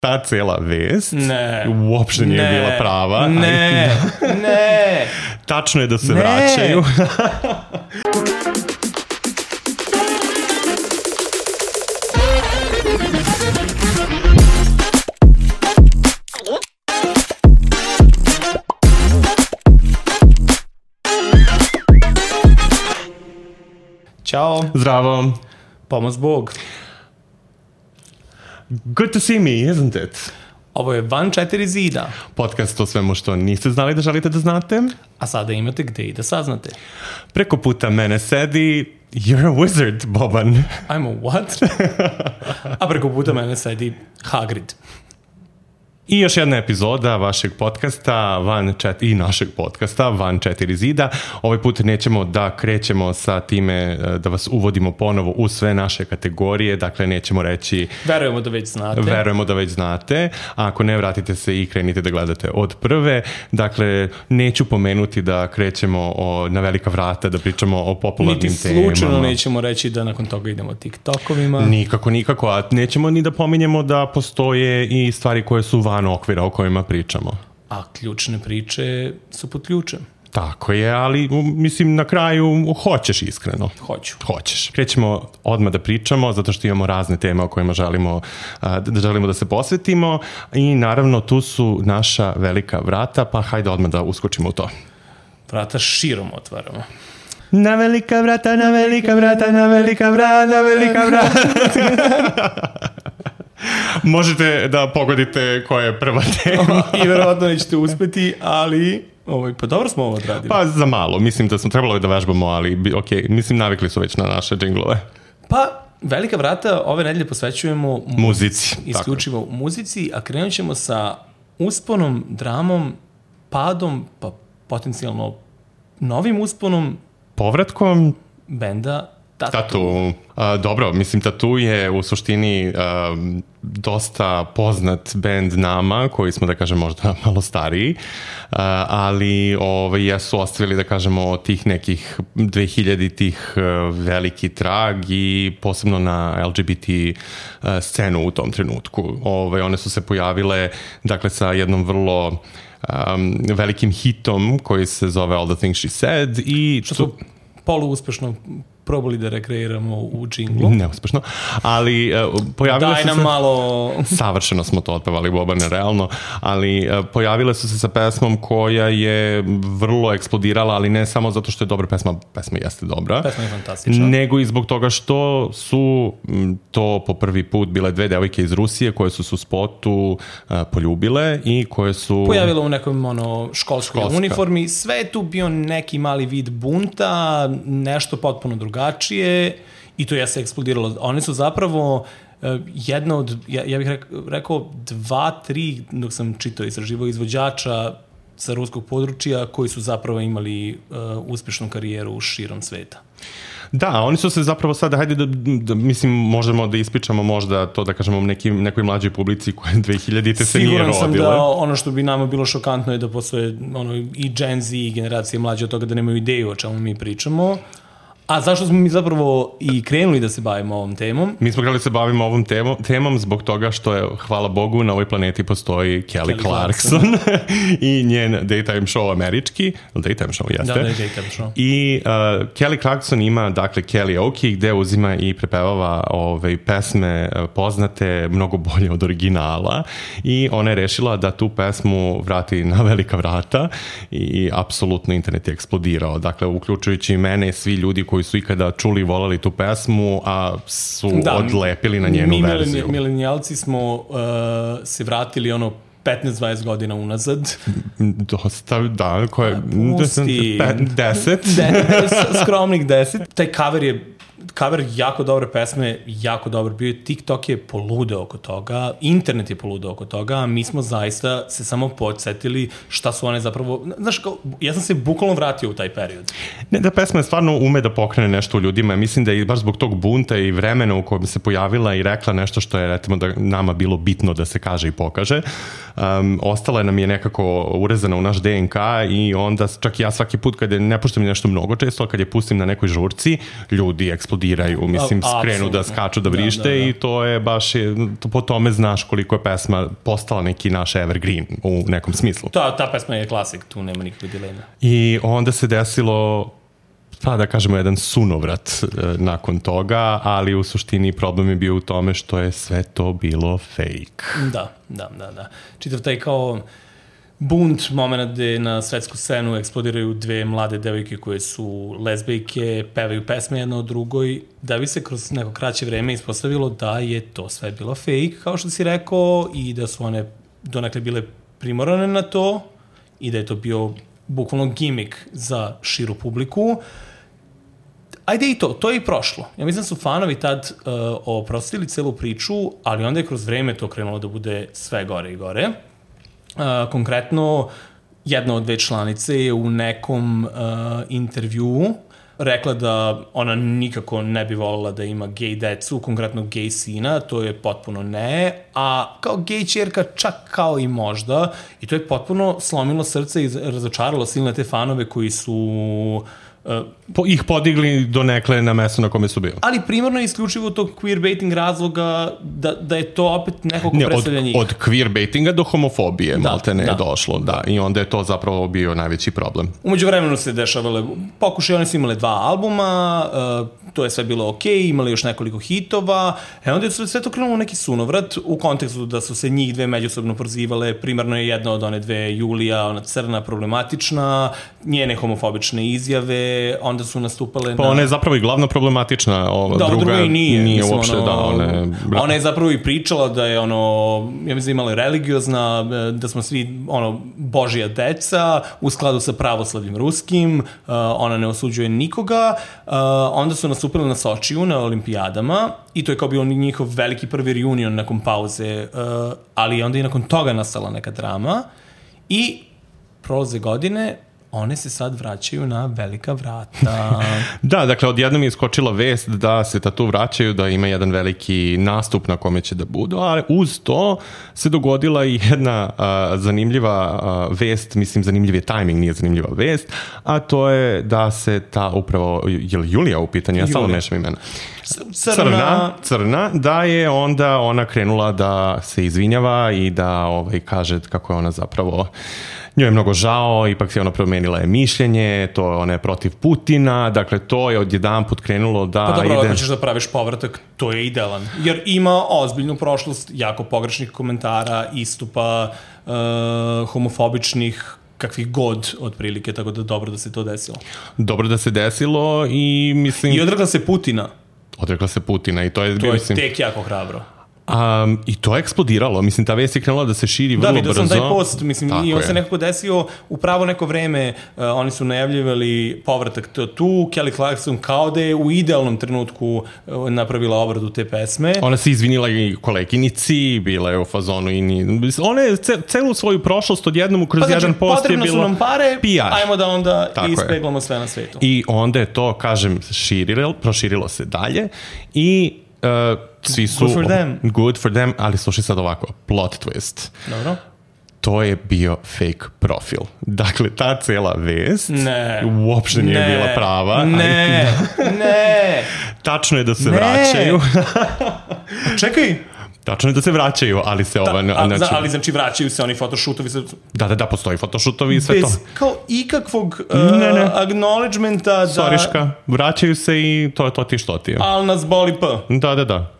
Ta cela vest uopšte nije bila prava. Ne. Tačno je da se vraćaju. Ćao. Zdravo. Pomoz Bog. Good to see me, isn't it? Ovo je Van 4 zida. Podcast o svemu što niste znali da želite da znate. A sada imate gde i da saznate. Preko puta mene sedi You're a wizard, Boban. I'm a what? A preko puta mene sedi Hagrid. I još jedna epizoda vašeg podcasta i našeg podcasta Van 4 zida. Ovaj put nećemo da krećemo sa time da vas uvodimo ponovo u sve naše kategorije, dakle nećemo reći... Verujemo da već znate. A ako ne, vratite se i krenite da gledate od prve. Dakle, neću pomenuti da krećemo na velika vrata, da pričamo o popularnim temama. Niti slučajno nećemo reći da nakon toga idemo TikTokovima. Nikako. A nećemo ni da pominjemo da postoje i stvari koje su van okvira o kojima pričamo. A ključne priče su pod ključem. Tako je, ali mislim na kraju hoćeš iskreno. Hoćeš. Krećemo odmah da pričamo zato što imamo razne teme o kojima želimo da se posvetimo i naravno tu su naša velika vrata, pa hajde odmah da uskočimo u to. Vrata širom otvaramo. Na velika vrata, na velika vrata, na velika vrata, na velika vrata. Možete da pogodite koja je prva tema. I verovatno nećete uspeti, ali pa dobro smo ovo odradili. Pa za malo, mislim da smo trebalo da vežbamo, ali okej, mislim navikli su već na naše džinglove. Pa velika vrata ove nedelje posvećujemo muzici. Isključivo muzici, a krenut ćemo sa usponom, dramom, padom, pa potencijalno novim usponom, povratkom benda Tattoo. Dobro, mislim Tattoo je u suštini dosta poznat bend nama, koji smo da kažem možda malo stariji, ali jesu ostavili da kažemo tih nekih 2000-tih veliki trag i posebno na LGBT scenu u tom trenutku. One su se pojavile dakle sa jednom vrlo velikim hitom koji se zove All the Things She Said i što su poluuspešno probali da rekreiramo u džinglu. Neuspešno, ali pojavile su se... Daj nam malo... Savršeno smo to otpevali, Bobane, realno, ali pojavile su se sa pesmom koja je vrlo eksplodirala, ali ne samo zato što je dobra pesma jeste dobra. Pesma je fantastična. Nego i zbog toga što su to po prvi put bile dve devojke iz Rusije koje su se u spotu poljubile i koje su... Pojavilo u nekom školskoj uniformi. Sve je tu bio neki mali vid bunta, nešto potpuno drugačije i to je se eksplodiralo. One su zapravo jedna od, ja bih rekao 2-3, dok sam čitao istraživao izvođača sa ruskog područja koji su zapravo imali uspešnu karijeru širom sveta. Da, oni su se zapravo sada, hajde da mislim, možemo da ispričamo možda to da kažemo nekoj mlađoj publici koja 2000-te se nije rodila. Siguran sam da ono što bi nama bilo šokantno je da postoje i Gen Z i generacije mlađe od toga da nemaju ideju o čemu mi pričamo. A zašto smo mi zapravo i krenuli da se bavimo ovom temom? Mi smo krenuli da se bavimo ovom temom zbog toga što je, hvala Bogu, na ovoj planeti postoji Kelly Clarkson i njen daytime show američki. Daytime show, jeste? Da, daytime show. I Kelly Clarkson ima, dakle, Kellyoke, gde uzima i prepevava pesme poznate mnogo bolje od originala i ona je rešila da tu pesmu vrati na velika vrata i apsolutno internet je eksplodirao. Dakle, uključujući mene, svi ljudi koji su ikada čuli i volali tu pesmu, a su odlepili na njenu verziju. Mi milenijalci smo se vratili 15-20 godina unazad. Dosta, da. Pusti. 10. Skromnih 10. Taj cover jako dobre pesme, jako dobar bio. TikTok je poludeo oko toga, internet je poludeo oko toga, a mi smo zaista se samo podsjetili šta su one zapravo... Znaš, ja sam se bukvalno vratio u taj period. Ne, da pesma stvarno ume da pokrene nešto u ljudima. Mislim da je baš zbog tog bunta i vremena u kojem se pojavila i rekla nešto što je, recimo, da nama bilo bitno da se kaže i pokaže. Ostala nam je nekako urezana u naš DNK i onda čak i ja svaki put kad ne puštam nešto mnogo često, ali kad je pustim na nekoj žurci, ljudi eksplodiraju, mislim, skrenu da skaču, da vrište i to je baš, po tome znaš koliko je pesma postala neki naš evergreen u nekom smislu. Ta pesma je klasik, tu nema nikakve dileme. I onda se desilo, pa da kažemo, jedan sunovrat nakon toga, ali u suštini problem je bio u tome što je sve to bilo fake. Da. Čitav taj kao bunt moment gde na svetsku scenu eksplodiraju dve mlade devojke koje su lezbijke, pevaju pesme jedna od drugoj, da bi se kroz neko kraće vreme ispostavilo da je to sve bilo fake, kao što si rekao, i da su one donekle bile primorane na to i da je to bio bukvalno gimik za širu publiku. Ajde i to je i prošlo. Ja mislim da su fanovi tad oprostili celu priču, ali onda je kroz vreme to krenulo da bude sve gore i gore. Konkretno, jedna od dve članice je u nekom intervjuu rekla da ona nikako ne bi voljela da ima gej decu, konkretno gej sina, to je potpuno ne, a kao gej ćerka čak kao i možda, i to je potpuno slomilo srce i razočaralo silne te fanove koji su ih podigli do nekle na mesto na kome su bili. Ali primarno je isključivo tog queerbaiting razloga da je to opet nekog predstavlja njih. Od queerbaitinga do homofobije malte ne je došlo. Da. I onda je to zapravo bio najveći problem. Umeđu vremenu se dešavale pokušaj, oni su imali 2 albuma, to je sve bilo okej, imali još nekoliko hitova, onda je sve to krenulo neki sunovrat u kontekstu da su se njih dve međusobno prozivale, primarno je jedna od one dve Julija, ona crna, problematična, njene homofobične izjave, onda su nastupale pa ona je zapravo i glavno problematična, druga nije uopšte ona je zapravo i pričala da je ja mislim imala religiozna, da smo svi božja deca u skladu sa pravoslavljem ruskim, ona ne osuđuje nikoga, onda su nastupili na Sočiju na olimpijadama i to je kao bio njihov veliki prvi reunion nakon pauze, ali onda i nakon toga nastala neka drama i prolaze godine, one se sad vraćaju na velika vrata. Da, dakle, odjednom je iskočila vest da se tatu vraćaju, da ima jedan veliki nastup na kome će da budu, ali uz to se dogodila i jedna zanimljiva vest, mislim zanimljiv je tajming, nije zanimljiva vest, a to je da se ta upravo, je li Julija u pitanju? Ja samo mešam imena. Crna, da je onda ona krenula da se izvinjava i da kaže kako je ona zapravo, njoj je mnogo žao, ipak se ona promenila je mišljenje, ona je protiv Putina, dakle to je odjedanput krenulo da pa dobro, ako ćeš da praviš povratak, to je idealan, jer ima ozbiljnu prošlost, jako pogrešnih komentara, istupa, homofobičnih, kakvih god otprilike, tako da dobro da se to desilo. Dobro da se desilo i mislim... I odrekla se Putina. Odrekla se Putina i to je... To je tek jako hrabro. I to je eksplodiralo, mislim, ta vest je krenula da se širi vrlo brzo. Da, vidio sam taj post, mislim, i on se nekako desio u pravo neko vreme, oni su najavljivali povratak tu, Kelly Clarkson kao da je u idealnom trenutku napravila obradu te pesme. Ona se izvinila i koleginici, bila je u fazonu i ona je celu svoju prošlost odjednom kroz jedan post je bilo... Potrebno su nam pare, PR. Ajmo da onda ispeglamo sve na svetu. I onda je to, kažem, proširilo se dalje i... svi su good for them, ali slušaj sad ovako, plot twist. Dobro. To je bio fake profil. Dakle, ta cela vest uopšte nije bila prava. Ne. Tačno je da se vraćaju. Čekaj. Tačno je da se vraćaju, ali se ali znači vraćaju se oni photoshotovi. Da, postoji photoshotovi i sve to. Bez kao ikakvog acknowledgementa da... Soriška, vraćaju se i to ti što ti je. Ali nas boli p. Da.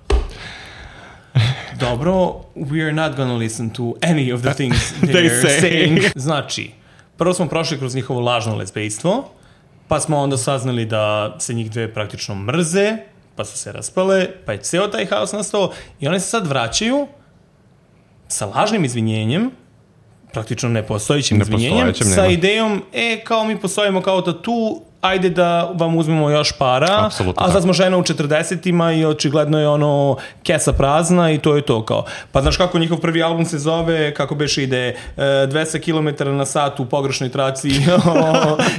Dobro, we are not gonna listen to any of the things they're saying. Znači, prvo smo prošli kroz njihovo lažno lezbejstvo, pa smo onda saznali da se njih dve praktično mrze, pa su se raspale, pa je ceo taj haos nastao i one se sad vraćaju sa lažnim izvinjenjem, praktično nepostojićim izvinjenjem, sa idejom, kao mi postojimo kao tatu, ajde da vam uzmemo još para, apsolutno, a sad smo žena u 40-ima i očigledno je kesa prazna i to je to kao. Pa znaš kako njihov prvi album se zove, kako beše ide 200 km na sat u pogrešnoj traci,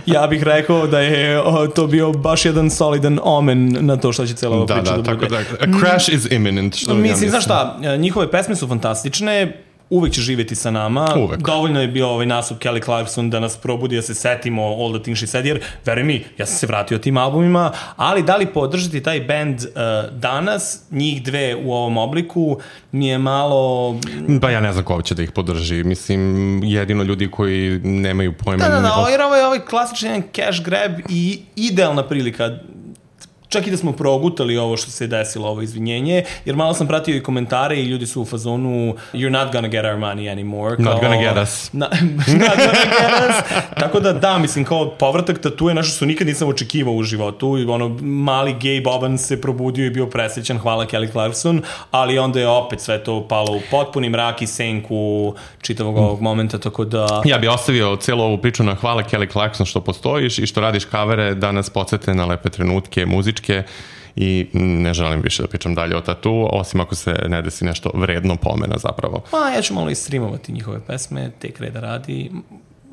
ja bih rekao da je to bio baš jedan solidan omen na to što će cijela ova priča da bude. A crash is imminent. Mislim, znaš šta, njihove pesme su fantastične, uvek će živjeti sa nama. Uvek. Dovoljno je bio ovaj nastup Kelly Clarkson da nas probudi, da se setimo All the Things She Said, jer, veruj mi, ja sam se vratio tim albumima, ali da li podržati taj band danas, njih dve u ovom obliku, mi je malo... Pa ja ne znam ko će da ih podrži. Mislim, jedino ljudi koji nemaju pojma... Da, jer ovo je klasičan jedan cash grab i idealna prilika. Čak i da smo progutali ovo što se desilo, ovo izvinjenje, jer malo sam pratio i komentare i ljudi su u fazonu you're not gonna get our money anymore. Not gonna get us. Not gonna get us. Tako da, mislim, kao povratak tatue, nešto što nikad nisam očekivao u životu. Mali gay Boban se probudio i bio presrećan, hvala Kelly Clarkson, ali onda je opet sve to palo u potpuni mrak i senku čitavog ovog momenta, tako da... Ja bih ostavio celu ovu priču na hvala Kelly Clarkson što postojiš i što radiš kavere da nas podsete na lepe trenutke muzičke i ne želim više da pričam dalje o tatu, osim ako se ne desi nešto vredno pomena zapravo. Ja ću malo istreamovati njihove pesme, tek reda radi.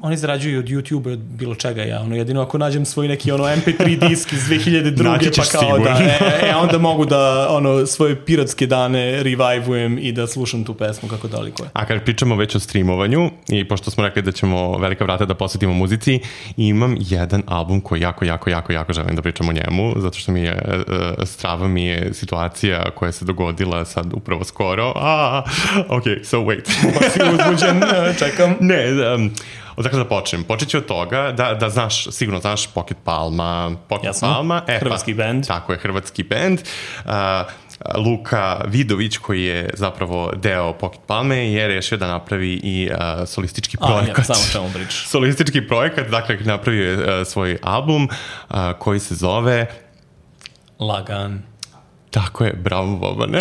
Oni zarađuju od YouTube, od bilo čega ja, jedino ako nađem svoj neki MP3 disk iz 2002. pa kao sigurno. Onda mogu da svoje piratske dane revivujem i da slušam tu pesmu kako daleko je. A kad pričamo već o streamovanju i pošto smo rekli da ćemo velika vrata da posvetimo muzici, imam jedan album koji jako želim da pričam o njemu, zato što strava mi je situacija koja se dogodila sad upravo skoro. Ok, so wait. Pa si uzbuđen, čekam. Ne, odakle da počnem? Počet ću od toga da znaš, sigurno znaš Pocket Palma. Palma. Hrvatski band. Tako je, hrvatski band. Luka Vidović, koji je zapravo deo Pocket Palme, je rešio da napravi i solistički projekat. Samo čemu pričaš. Solistički projekat, dakle napravio je svoj album koji se zove Lagan. Tako je, bravo Bobane.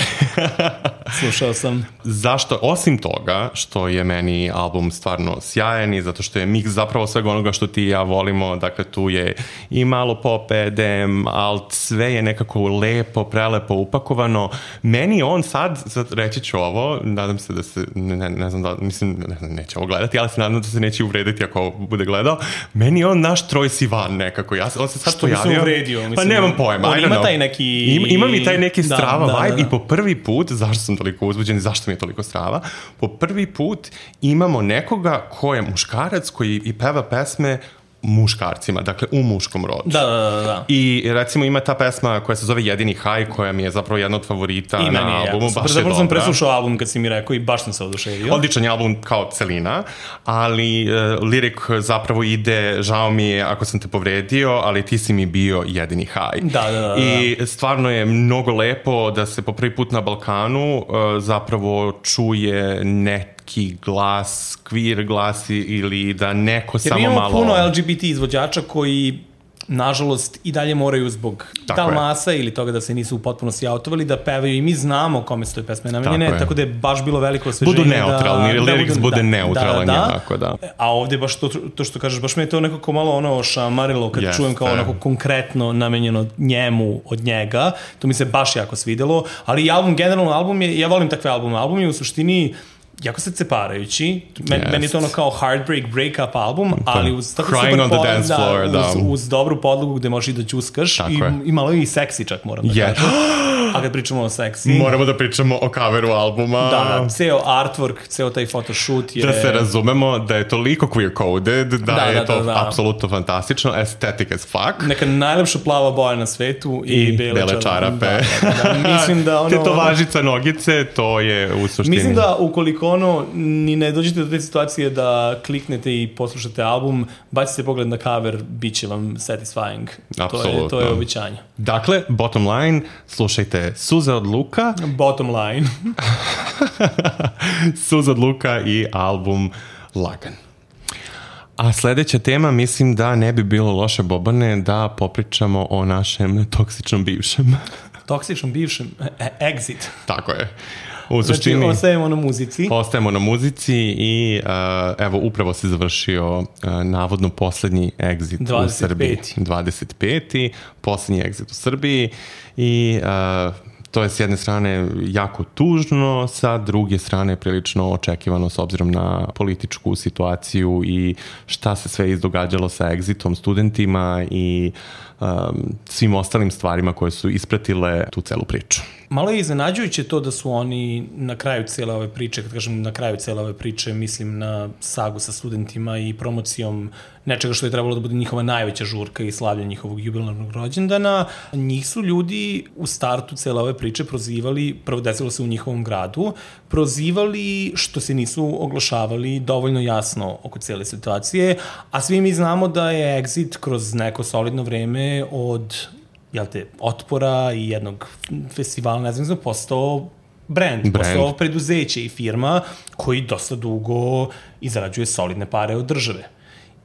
Slušao sam. Zašto? Osim toga što je meni album stvarno sjajan i zato što je miks zapravo svega onoga što ti i ja volimo, dakle tu je i malo pop, EDM, alt, sve je nekako lepo, prelepo upakovano. Meni on sad reći ću ovo, nadam se da se, ne znam da, mislim, neće ovo gledati, ali se nadam da se neće uvrediti ako ovo bude gledao. Meni je on naš Troye Sivan nekako, on se sad pojavio. Što bi se uvredio? Mislim, pa nemam pojma, on ima taj neki... Ima mi taj neki strava vibe i po prvi put, zašto sam toliko uzbuđen i zašto mi je toliko strava, po prvi put imamo nekoga ko je muškarac koji i peva pesme muškarcima, dakle u muškom rodu. Da. I recimo ima ta pesma koja se zove Jedini haj, koja mi je zapravo jedna od favorita na albumu. Baš je dobra. Sam preslušao album kad si mi rekao i baš sam se oduševio. Odličan je album kao celina, ali lirik zapravo ide, žao mi je ako sam te povredio, ali ti si mi bio jedini haj. Da. I stvarno je mnogo lepo da se po prvi put na Balkanu zapravo čuje neki glas, queer glas ili da neko samo malo... Jer imamo puno LGBT izvođača koji, nažalost, i dalje moraju zbog talmasa ili toga da se nisu u potpunosti autovali, da pevaju i mi znamo kome su te pesme namenjene, tako da je baš bilo veliko osveženje. Budu neutralni, lirik bude neutralan. A ovdje baš to što kažeš, baš me je to nekako malo šamarilo kad čujem kao onako konkretno namenjeno njemu od njega. To mi se baš jako svidelo, ali i generalno album je, ja volim takve albume. Album je u suštini jako se ceparajući. Meni je to kao heartbreak, break-up album, ali uz tako Crying on the dance floor, uz dobru podlogu gde možeš i da ćuskaš i malo i seksi čak moram da kažem. A kad pričamo o seksi... Moramo da pričamo o coveru albuma. Da, ceo artwork, ceo taj photoshoot je... Da se razumemo da je toliko queer-coded, da je to apsolutno fantastično, aesthetic as fuck. Neka najlepša plava boja na svetu i bele čarape. Mislim da tetovažica nogice, to je u suštini... Mislim da ukoliko ni ne dođete do te situacije da kliknete i poslušate album, bacite pogled na cover, bit će vam satisfying. Apsolutno. To je običanje. Dakle, bottom line, slušajte Suze od Luka. Bottom line. Suze od Luka i album Lagan. A sledeća tema, mislim da ne bi bilo loše, Bobane, da popričamo o našem toksičnom bivšem. Toksičnom bivšem? Exit. Tako je. Znači, ostajemo na muzici. Ostajemo na muzici i evo, upravo se završio navodno poslednji exit u Srbiji. 25. Poslednji exit u Srbiji i to je s jedne strane jako tužno, sa druge strane prilično očekivano s obzirom na političku situaciju i šta se sve izdogađalo sa exitom studentima i svim ostalim stvarima koje su ispratile tu celu priču. Malo je iznenađujuće to da su oni na kraju cijele ove priče, kad kažem na kraju cijele ove priče, mislim na sagu sa studentima i promocijom nečega što je trebalo da bude njihova najveća žurka i slavlja njihovog jubilarnog rođendana. Njih su ljudi u startu cijele ove priče prozivali, prvo desilo se u njihovom gradu, prozivali što se nisu oglašavali dovoljno jasno oko cijele situacije, a svi mi znamo da je Exit kroz neko solidno vreme od otpora i jednog festivala, ne znam, postao brand, postao preduzeće i firma koji dosta dugo izrađuje solidne pare od države.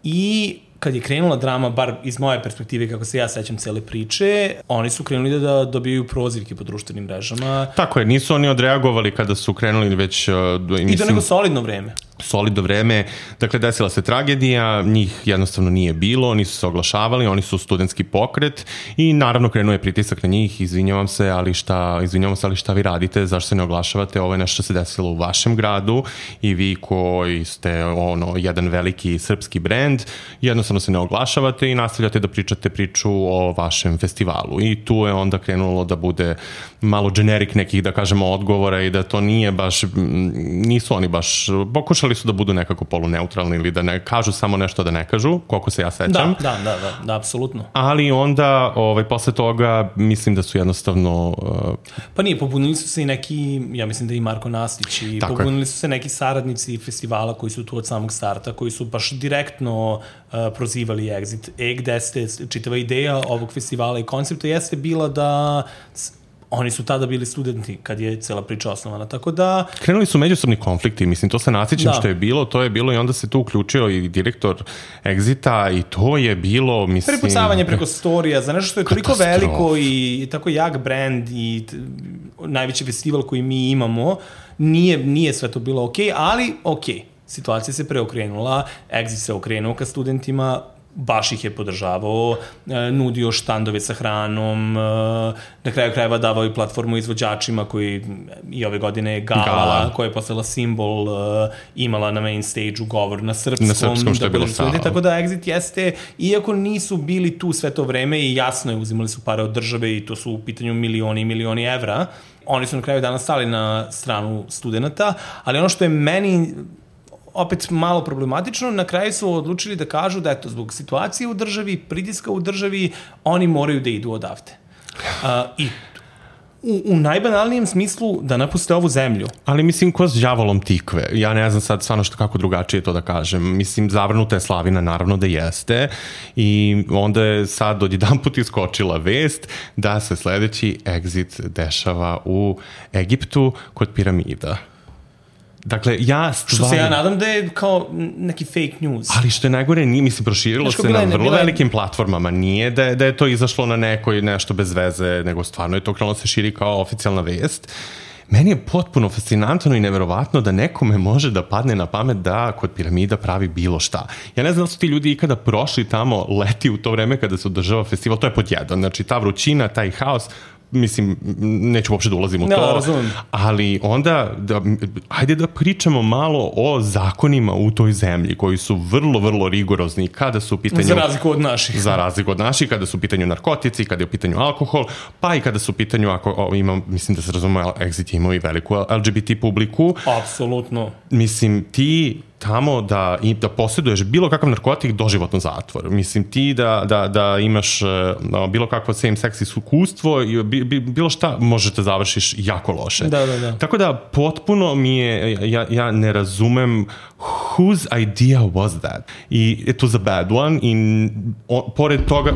I kad je krenula drama, bar iz moje perspektive, kako se ja sećam cele priče, oni su krenuli da dobijaju prozivke po društvenim mrežama. Tako je, nisu oni odreagovali kada su krenuli već... I to neko solidno vreme. Solidno vreme, dakle desila se tragedija, njih jednostavno nije bilo, nisu se oglašavali, oni su studentski pokret i naravno krenuo je pritisak na njih, izvinjavam se, ali šta vi radite, zašto se ne oglašavate, ovo je nešto što se desilo u vašem gradu i vi koji ste jedan veliki srpski brend, jednostavno se ne oglašavate i nastavljate da pričate priču o vašem festivalu i tu je onda krenulo da bude malo generik nekih, da kažemo, odgovora i da to nije baš, nisu oni baš, pokušali su da budu nekako poluneutralni ili da ne kažu samo nešto da ne kažu, koliko se ja sećam. Da, apsolutno. Ali onda, posle toga, mislim da su jednostavno... Pa nije, pobunili su se i neki, ja mislim da i Marko Nastić, i pobunili su se neki saradnici festivala koji su tu od samog starta, koji su baš direktno prozivali Exit. Gde ste, čitava ideja ovog festivala i koncepta jeste bila da... Oni su tada bili studenti kad je cela priča osnovana, tako da... Krenuli su međusobni konflikti, mislim, to se nasjećam što je bilo, to je bilo i onda se tu uključio i direktor Exita i to je bilo, mislim... Prepucavanje preko storija za nešto što je toliko veliko i tako jak brand i najveći festival koji mi imamo, nije sve to bilo okej, ali okej. Situacija se preokrenula, Exit se okrenuo ka studentima, baš ih je podržavao, nudio štandove sa hranom, na kraju krajeva davao i platformu izvođačima koji i ove godine je Gala, koja je postala simbol, imala na main stage-u govor na srpskom, što je bilo stalo. Tako da Exit jeste, iako nisu bili tu sve to vreme i jasno je, uzimali su pare od države i to su u pitanju milioni i milioni evra, oni su na kraju dana stali na stranu studenta, ali ono što je meni opet malo problematično, na kraju su odlučili da kažu da eto, zbog situacije u državi, pritiska u državi, oni moraju da idu odavde. I u najbanalnijem smislu da napuste ovu zemlju. Ali mislim, ko s đavolom tikve? Ja ne znam sad stvarno kako drugačije to da kažem. Mislim, zavrnuta je slavina, naravno da jeste. I onda je sad odjedanput iskočila vest da se sledeći Exit dešava u Egiptu kod piramida. Dakle, Što se ja nadam da je kao neki fake news. Ali što je najgore, mislim, proširilo se na vrlo velikim platformama. Nije da je to izašlo na nekoj nešto bez veze, nego stvarno je to krenulo se širi kao oficijalna vest. Meni je potpuno fascinantno i neverovatno da nekome može da padne na pamet da kod piramida pravi bilo šta. Ja ne znam da su ti ljudi ikada prošli tamo leti u to vreme kada se održava festival, to je pod jedan. Znači, ta vrućina, taj haos, mislim, neću uopšte da ulazim u to, razumem. Ali onda, hajde da pričamo malo o zakonima u toj zemlji, koji su vrlo, vrlo rigorozni kada su u pitanju... Za razliku od naših. Za razliku od naših, kada su u pitanju narkotici, kada je u pitanju alkohol, pa i kada su u pitanju, mislim da se razume, Exit imao i veliku LGBT publiku. Apsolutno. Mislim, ti tamo da posjeduješ bilo kakav narkotik, doživotno zatvor. Mislim, ti da imaš bilo kakvo same-sex iskustvo, bilo šta, možete završiš jako loše. Da. Tako da, potpuno mi je, ja ne razumem whose idea was that? I it was a bad one i pored toga...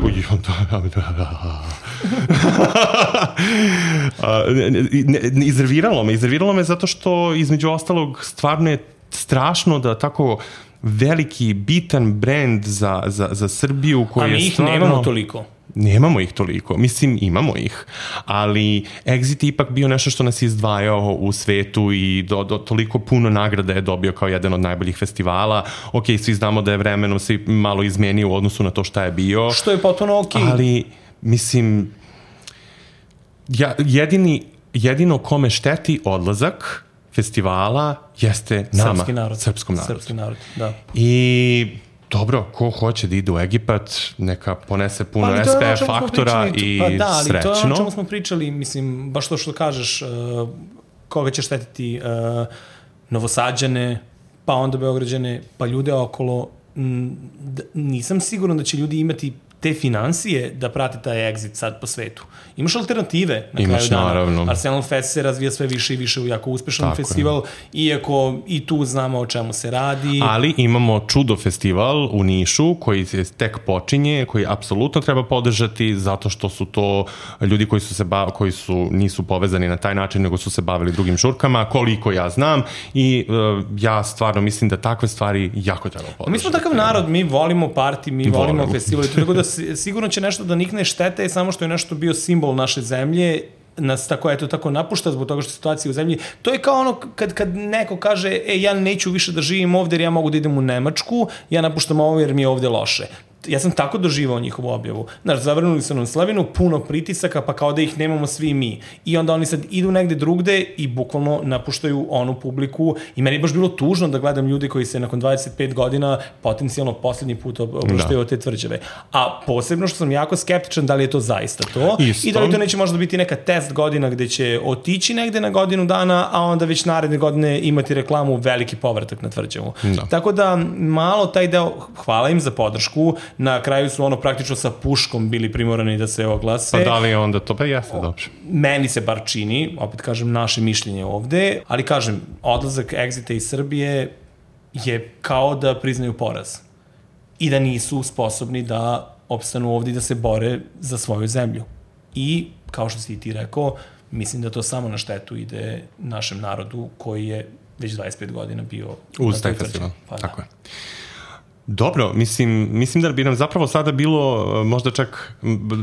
Iznerviralo me zato što između ostalog stvarno je strašno da tako veliki, bitan brend za Srbiju koji je stvarno... A mi ih nemamo toliko. Nemamo ih toliko. Mislim, imamo ih. Ali Exit je ipak bio nešto što nas je izdvajao u svetu i toliko puno nagrada je dobio kao jedan od najboljih festivala. Ok, svi znamo da je vremenom se malo izmenio u odnosu na to šta je bio. Što je potpuno ok. Ali, mislim, jedino kome šteti odlazak festivala jeste nama, srpskom narodu. Srpski narod, da. I Dobro, ko hoće da ide u Egipat, neka ponese puno SPF faktora i srećno. Ali to je ono o čemu smo pričali, mislim, baš to što kažeš, koga će štetiti Novosađane, pa onda Beograđane, pa ljude okolo. Nisam siguran da će ljudi imati te finansije da prate taj exit sad po svetu. Imaš alternative na kraju dana. Naravno. Arsenal Fest se razvija sve više i više u jako uspešan festival, iako i tu znamo o čemu se radi. Ali imamo Čudo festival u Nišu koji se tek počinje, koji apsolutno treba podržati zato što su to ljudi koji nisu povezani na taj način, nego su se bavili drugim žurkama, koliko ja znam, i ja stvarno mislim da takve stvari jako treba podržati. Mi smo takav narod, mi volimo party, mi volimo festival, tako da sigurno će nešto da nikne, štete je samo što je nešto bio simbol naše zemlje, nas tako napušta zbog toga što je situacija u zemlji. To je kao ono kad neko kaže ja neću više da živim ovde jer ja mogu da idem u Nemačku, ja napuštam ovo jer mi je ovde loše. Ja sam tako doživao njihovu objavu. Znaš, zavrnuli su nam slavinu, puno pritisaka, pa kao da ih nemamo svi mi. I onda oni sad idu negde drugde i bukvalno napuštaju onu publiku. I meni je baš bilo tužno da gledam ljudi koji se nakon 25 godina potencijalno poslednji put oproštaju od te tvrđave. A posebno što sam jako skeptičan da li je to zaista to. I da li to neće možda biti neka test godina gde će otići negde na godinu dana, a onda već naredne godine imati reklamu veliki povratak na tvrđavu. Tako da malo taj deo, hvala im za podršku. Na kraju su praktično sa puškom bili primorani da se oglase. Pa da li onda to? Pa jeste dobro. Meni se bar čini, opet kažem, naše mišljenje ovde, ali kažem, odlazak Exita iz Srbije je kao da priznaju poraz. I da nisu sposobni da opstanu ovde i da se bore za svoju zemlju. I, kao što si i ti rekao, mislim da to samo na štetu ide našem narodu koji je već 25 godina bio uz taj festival. Pa, tako je. Dobro, mislim da bi nam zapravo sada bilo, možda čak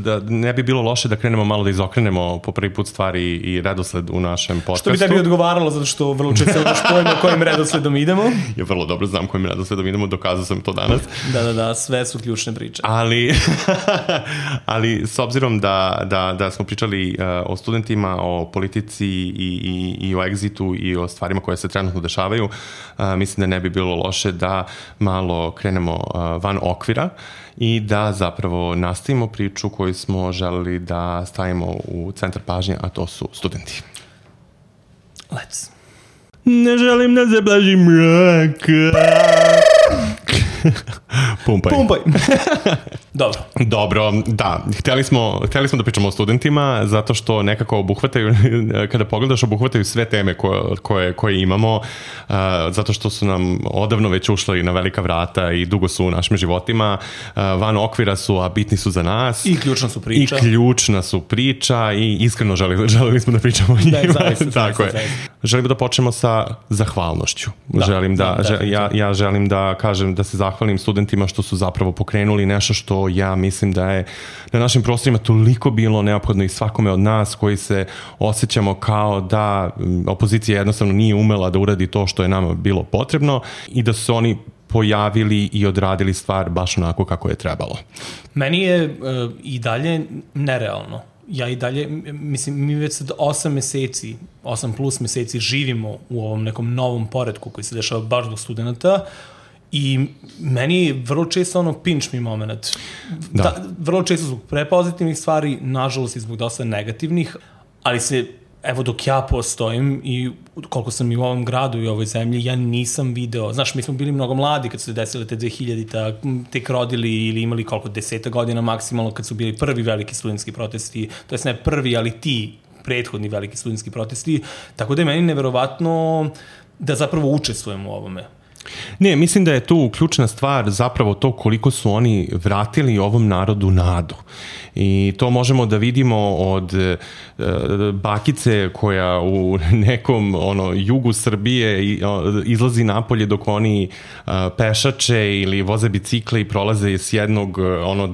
da ne bi bilo loše da krenemo malo da izokrenemo po prvi put stvari i redosled u našem podcastu. Što bi tebi odgovaralo, zato što vrlo često imaš pojma kojim redosledom idemo. Ja vrlo dobro znam kojim redosledom idemo, dokazao sam to danas. Da, sve su ključne priče. Ali s obzirom da smo pričali o studentima, o politici i o Exitu i o stvarima koje se trenutno dešavaju, mislim da ne bi bilo loše da malo krenemo van okvira i da zapravo nastavimo priču koju smo želeli da stavimo u centar pažnje, a to su studenti. Let's. Ne želim da se blažim mraka. Pumpaj. Dobro, da. Hteli smo da pričamo o studentima, zato što nekako obuhvataju, kada pogledaš, obuhvataju sve teme koje imamo, zato što su nam odavno već ušli na velika vrata i dugo su u našim životima. Van okvira su, a bitni su za nas. I ključna su priča. I iskreno želeli smo da pričamo o njima. Tako je. Želimo da počnemo sa zahvalnošću. Ja želim da kažem, da se zahvalim studentima što su zapravo pokrenuli nešto što ja mislim da je na našim prostorima toliko bilo neophodno i svakome od nas koji se osjećamo kao da opozicija jednostavno nije umela da uradi to što je nama bilo potrebno i da su oni pojavili i odradili stvar baš onako kako je trebalo. Meni je i dalje nerealno. Ja i dalje, mislim, mi već sad 8 plus meseci živimo u ovom nekom novom poretku koji se dešava baš do studenta i meni je vrlo često pinch mi moment. Vrlo često zbog prepozitivnih stvari, nažalost i zbog dosta negativnih, ali evo dok ja postojim i koliko sam i u ovom gradu i u ovoj zemlji, ja nisam video, znaš, mi smo bili mnogo mladi kad su se desile te 2000-ta, tek rodili ili imali 10 godina maksimalno kad su bili prvi veliki studentski protesti, to jest ne prvi, ali ti prethodni veliki studentski protesti, tako da je meni neverovatno da zapravo učestvujem u ovome. Ne, mislim da je tu ključna stvar zapravo to koliko su oni vratili ovom narodu nadu. I to možemo da vidimo od bakice koja u nekom jugu Srbije izlazi napolje dok oni pešače ili voze bicikle i prolaze s jednog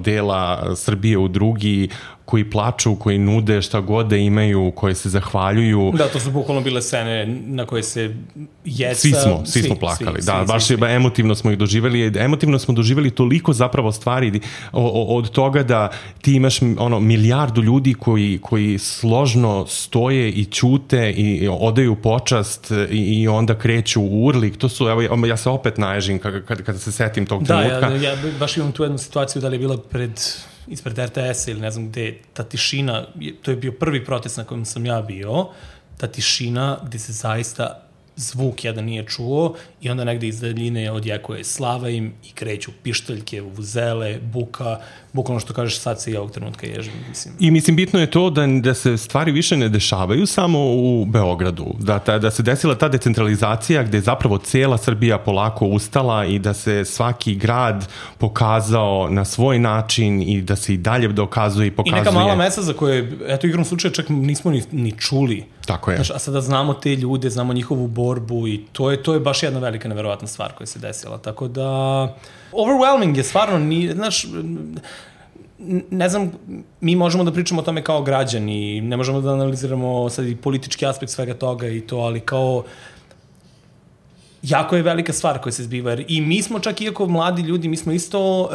dela Srbije u drugi, koji plaču, koji nude šta god da imaju, koje se zahvaljuju. Da, to su bukvalno bile scene na koje se jeca... Svi smo plakali, baš emotivno smo ih doživjeli. Emotivno smo doživjeli toliko zapravo stvari od toga da ti imaš milijardu ljudi koji složno stoje i ćute i odaju počast i onda kreću u urlik. To su, evo, ja se opet naježim kada se setim tog trenutka. Da, ja baš imam tu jednu situaciju da li je bila ispred RTS-a ili ne znam gde, ta tišina, to je bio prvi protest na kojem sam ja bio, ta tišina gde se zaista zvuk jedan nije čuo i onda negde iz daljine odjekuje slava im i kreću pištaljke, vuzele, buka, bukvalno što kažeš sad se i ovog trenutka ježim. I mislim, bitno je to da se stvari više ne dešavaju samo u Beogradu, da se desila ta decentralizacija gde je zapravo cijela Srbija polako ustala i da se svaki grad pokazao na svoj način i da se i dalje dokazuje i pokazuje. I neka mala mesta za koje, eto igrom slučaja, čak nismo ni čuli. Tako je. Znaš, a sada znamo te ljude, znamo njihovu borbu i to je baš jedna velika neverovatna stvar koja se desila. Tako da, overwhelming je stvarno, znaš, ne znam, mi možemo da pričamo o tome kao građani, ne možemo da analiziramo sad i politički aspekt svega toga i to, ali kao jako je velika stvar koja se zbiva. I mi smo čak, iako mladi ljudi, mi smo isto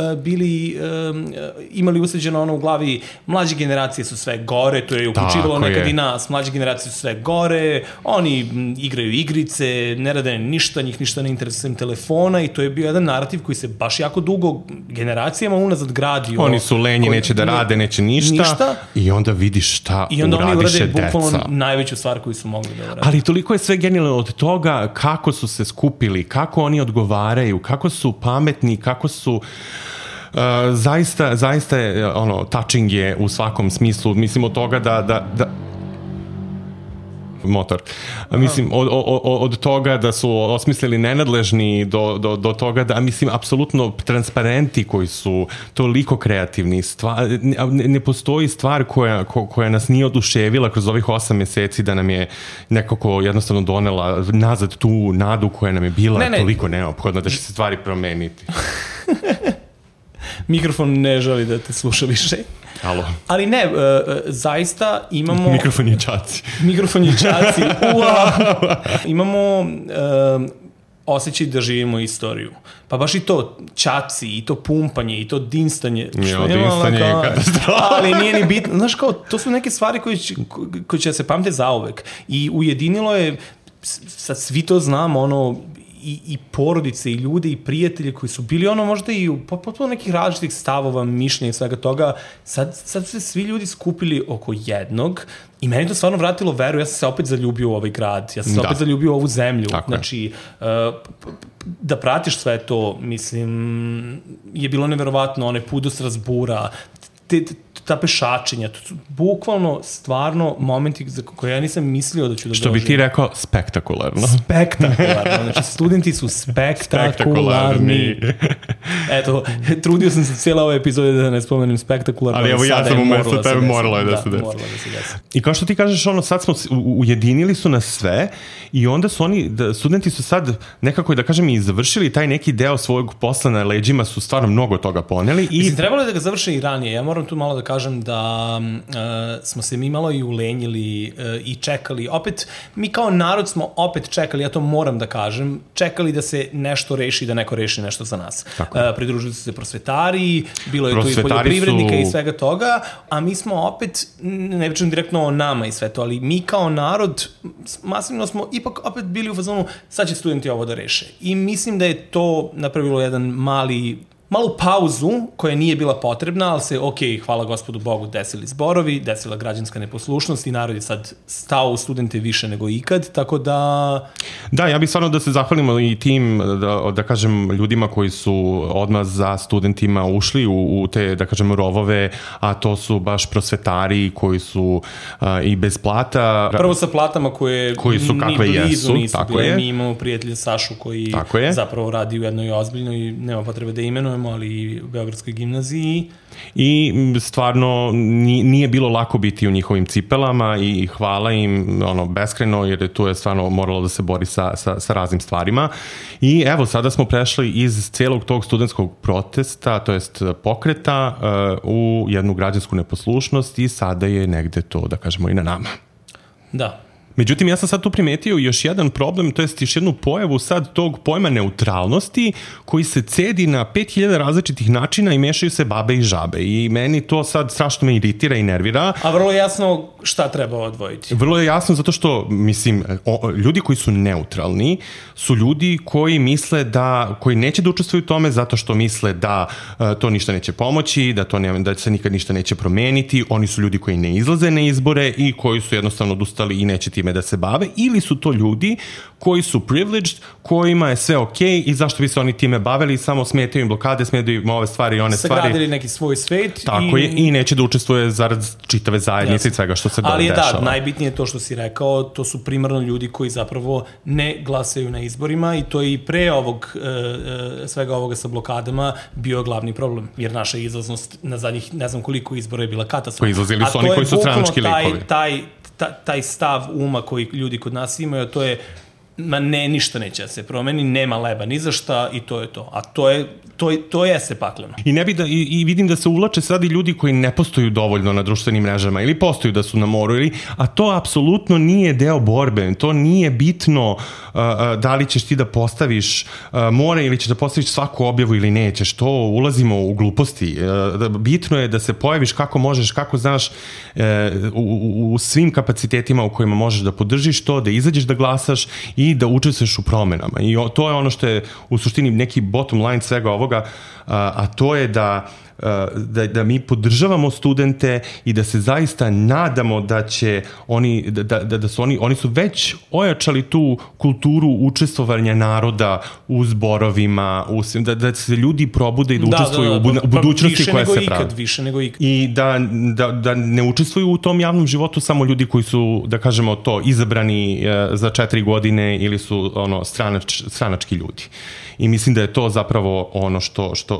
imali usađeno ono u glavi, mlađe generacije su sve gore, to je uključivalo nekad i nas, mlađe generacije su sve gore, oni igraju igrice, ne rade ništa, njih ništa ne interesuje telefona i to je bio jedan narativ koji se baš jako dugo generacijama unazad gradio. Oni su lenji, neće da rade, neće ništa i onda vidiš šta uradiše deca. I onda oni urade bukvalno najveću stvar koju su mogli da urade. Ali toliko je sve genijalno od toga kako su se skupili, kako oni odgovaraju, kako su pametni, kako su zaista je touching je u svakom smislu, mislim od toga da motor. Mislim, od toga da su osmislili nenadležni do toga da, mislim, apsolutno transparenti koji su toliko kreativni. Ne postoji stvar koja nas nije oduševila kroz ovih 8 meseci da nam je nekako jednostavno donela nazad tu nadu koja nam je bila toliko neophodna da će se stvari promeniti. Mikrofon ne želi da te sluša više. Alo. Ali ne, zaista imamo... Mikrofon je čaci. Mikrofon je čaci. Imamo osjećaj da živimo istoriju. Pa baš i to čaci, i to pumpanje, i to dinstanje. Dinstanje je katastrofa. Ali nije ni bitno. Znaš, kao, to su neke stvari koje će se pamte zauvek. I ujedinilo je, sad svi to znamo, i porodice, i ljude, i prijatelje koji su bili možda i u potpuno nekih različitih stavova, mišljenja i svega toga. Sad se svi ljudi skupili oko jednog i meni to stvarno vratilo veru. Ja sam se opet zaljubio u ovaj grad. Ja sam se opet zaljubio u ovu zemlju. Tako znači, da pratiš sve to, mislim, je bilo neverovatno. Onaj put do Strasbura, ta pešačenja, to su bukvalno stvarno momenti za koje ja nisam mislio da ću da doživim. Što bi ti rekao, spektakularno. Spektakularno, znači studenti su spektakularni. Eto, trudio sam se cijela ova epizoda da ne spomenem spektakularno. Ali evo ja sam umesto tebe, moralo je da se desi. I kao što ti kažeš, sad smo ujedinili su nas sve i onda su studenti su sad nekako, da kažem, i završili taj neki deo svojeg posla na leđima, su stvarno mnogo toga poneli. Mislim, trebalo je da ga završe i ranije. Ja moram tu malo da kažem da smo se mi malo i ulenjili i čekali. Opet, mi kao narod smo opet čekali, ja to moram da kažem, čekali da se nešto reši, da neko reši nešto za nas. Pridružili su se prosvetari, bilo je tu i poljoprivrednika i svega toga, a mi smo opet, ne pričam direktno o nama i sve to, ali mi kao narod masivno smo ipak opet bili u fazonu, sad će studenti ovo da reše. I mislim da je to napravilo jedan malu pauzu koja nije bila potrebna, ali se, hvala gospodu Bogu, desili zborovi, desila građanska neposlušnost i narod je sad stao u studente više nego ikad, tako da... Da, ja bih stvarno da se zahvalimo i tim, da kažem, ljudima koji su odmah za studentima ušli u te, da kažem, rovove, a to su baš prosvetari koji su i bez plata. Prvo sa platama koji su kakve jesu, nisu bile. Mi imamo prijatelja Sašu koji zapravo radi u jednoj ozbiljnoj, nema potrebe da imenuje, čujemo, ali i u Beogradskoj gimnaziji. I stvarno nije bilo lako biti u njihovim cipelama i hvala im beskrajno, jer tu je stvarno moralo da se bori sa raznim stvarima. I evo, sada smo prešli iz celog tog studentskog protesta, to jest pokreta, u jednu građansku neposlušnost i sada je negde to, da kažemo, i na nama. Da. Međutim, ja sam sad tu primetio još jedan problem, to jest još jednu pojavu sad tog pojma neutralnosti koji se cedi na 5000 različitih načina i mešaju se babe i žabe. I meni to sad strašno me iritira i nervira. A vrlo je jasno šta treba odvojiti. Vrlo je jasno zato što, mislim, ljudi koji su neutralni su ljudi koji misle koji neće da učestvuju u tome zato što misle da to ništa neće pomoći, da se nikad ništa neće promeniti. Oni su ljudi koji ne izlaze na izbore i koji su jednostavno odustali i neće time da se bave, ili su to ljudi koji su privileged, kojima je sve okej i zašto bi se oni time bavili, samo smetaju im blokade, smetaju im ove stvari i one stvari. Sagradili neki svoj svet. Tako je, i neće da učestvuje zarad čitave zajednice i svega što se dešava. Ali je da, najbitnije je to što si rekao, to su primarno ljudi koji zapravo ne glasaju na izborima i to je i pre svega ovoga sa blokadama bio glavni problem, jer naša izlaznost na zadnjih ne znam koliko izbora je bila katastrofalna. Izlazili su oni koji su stranački likovi. Taj stav uma koji ljudi kod nas imaju, to je ništa neće da se promeni, nema leba ni za šta i to je to. A to jeste pakleno. I vidim da se uvlače sad i ljudi koji ne postoju dovoljno na društvenim mrežama ili postoju da su na moru, a to apsolutno nije deo borbe. To nije bitno da li ćeš ti da postaviš more ili ćeš da postaviš svaku objavu ili nećeš. To ulazimo u gluposti. Bitno je da se pojaviš kako možeš, kako znaš u svim kapacitetima u kojima možeš da podržiš to, da izađeš da glasaš i da učestvuješ u promenama. I to je ono što je u suštini neki bottom line svega ovoga, a to je da mi podržavamo studente i da se zaista nadamo da će oni su već ojačali tu kulturu učestvovanja naroda u zborovima, da se ljudi probude i da učestvuju u budućnosti koja se pravi. Više nego ikad. I da ne učestvuju u tom javnom životu samo ljudi koji su, da kažemo to, izabrani za 4 godine ili su stranački ljudi. I mislim da je to zapravo ono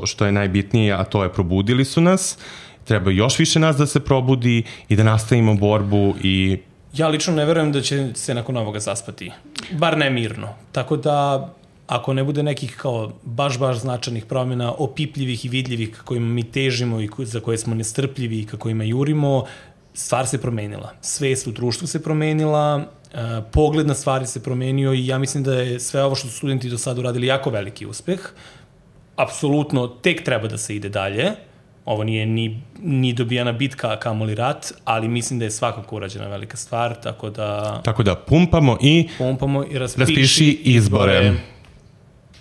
što je najbitnije, a to je probudili su nas, treba još više nas da se probudi i da nastavimo borbu i... Ja lično ne verujem da će se nakon ovoga zaspati, bar ne mirno. Tako da, ako ne bude nekih kao baš značajnih promjena, opipljivih i vidljivih kojima mi težimo i za koje smo nestrpljivi i kako ima jurimo, stvar se promenila. Svest u društvu se promenila, pogled na stvari se promenio i ja mislim da je sve ovo što su studenti do sada uradili jako veliki uspeh. Apsolutno, tek treba da se ide dalje. Ovo nije ni dobijana bitka, kamoli rat, ali mislim da je svakako urađena velika stvar, tako da pumpamo i raspiši izbore.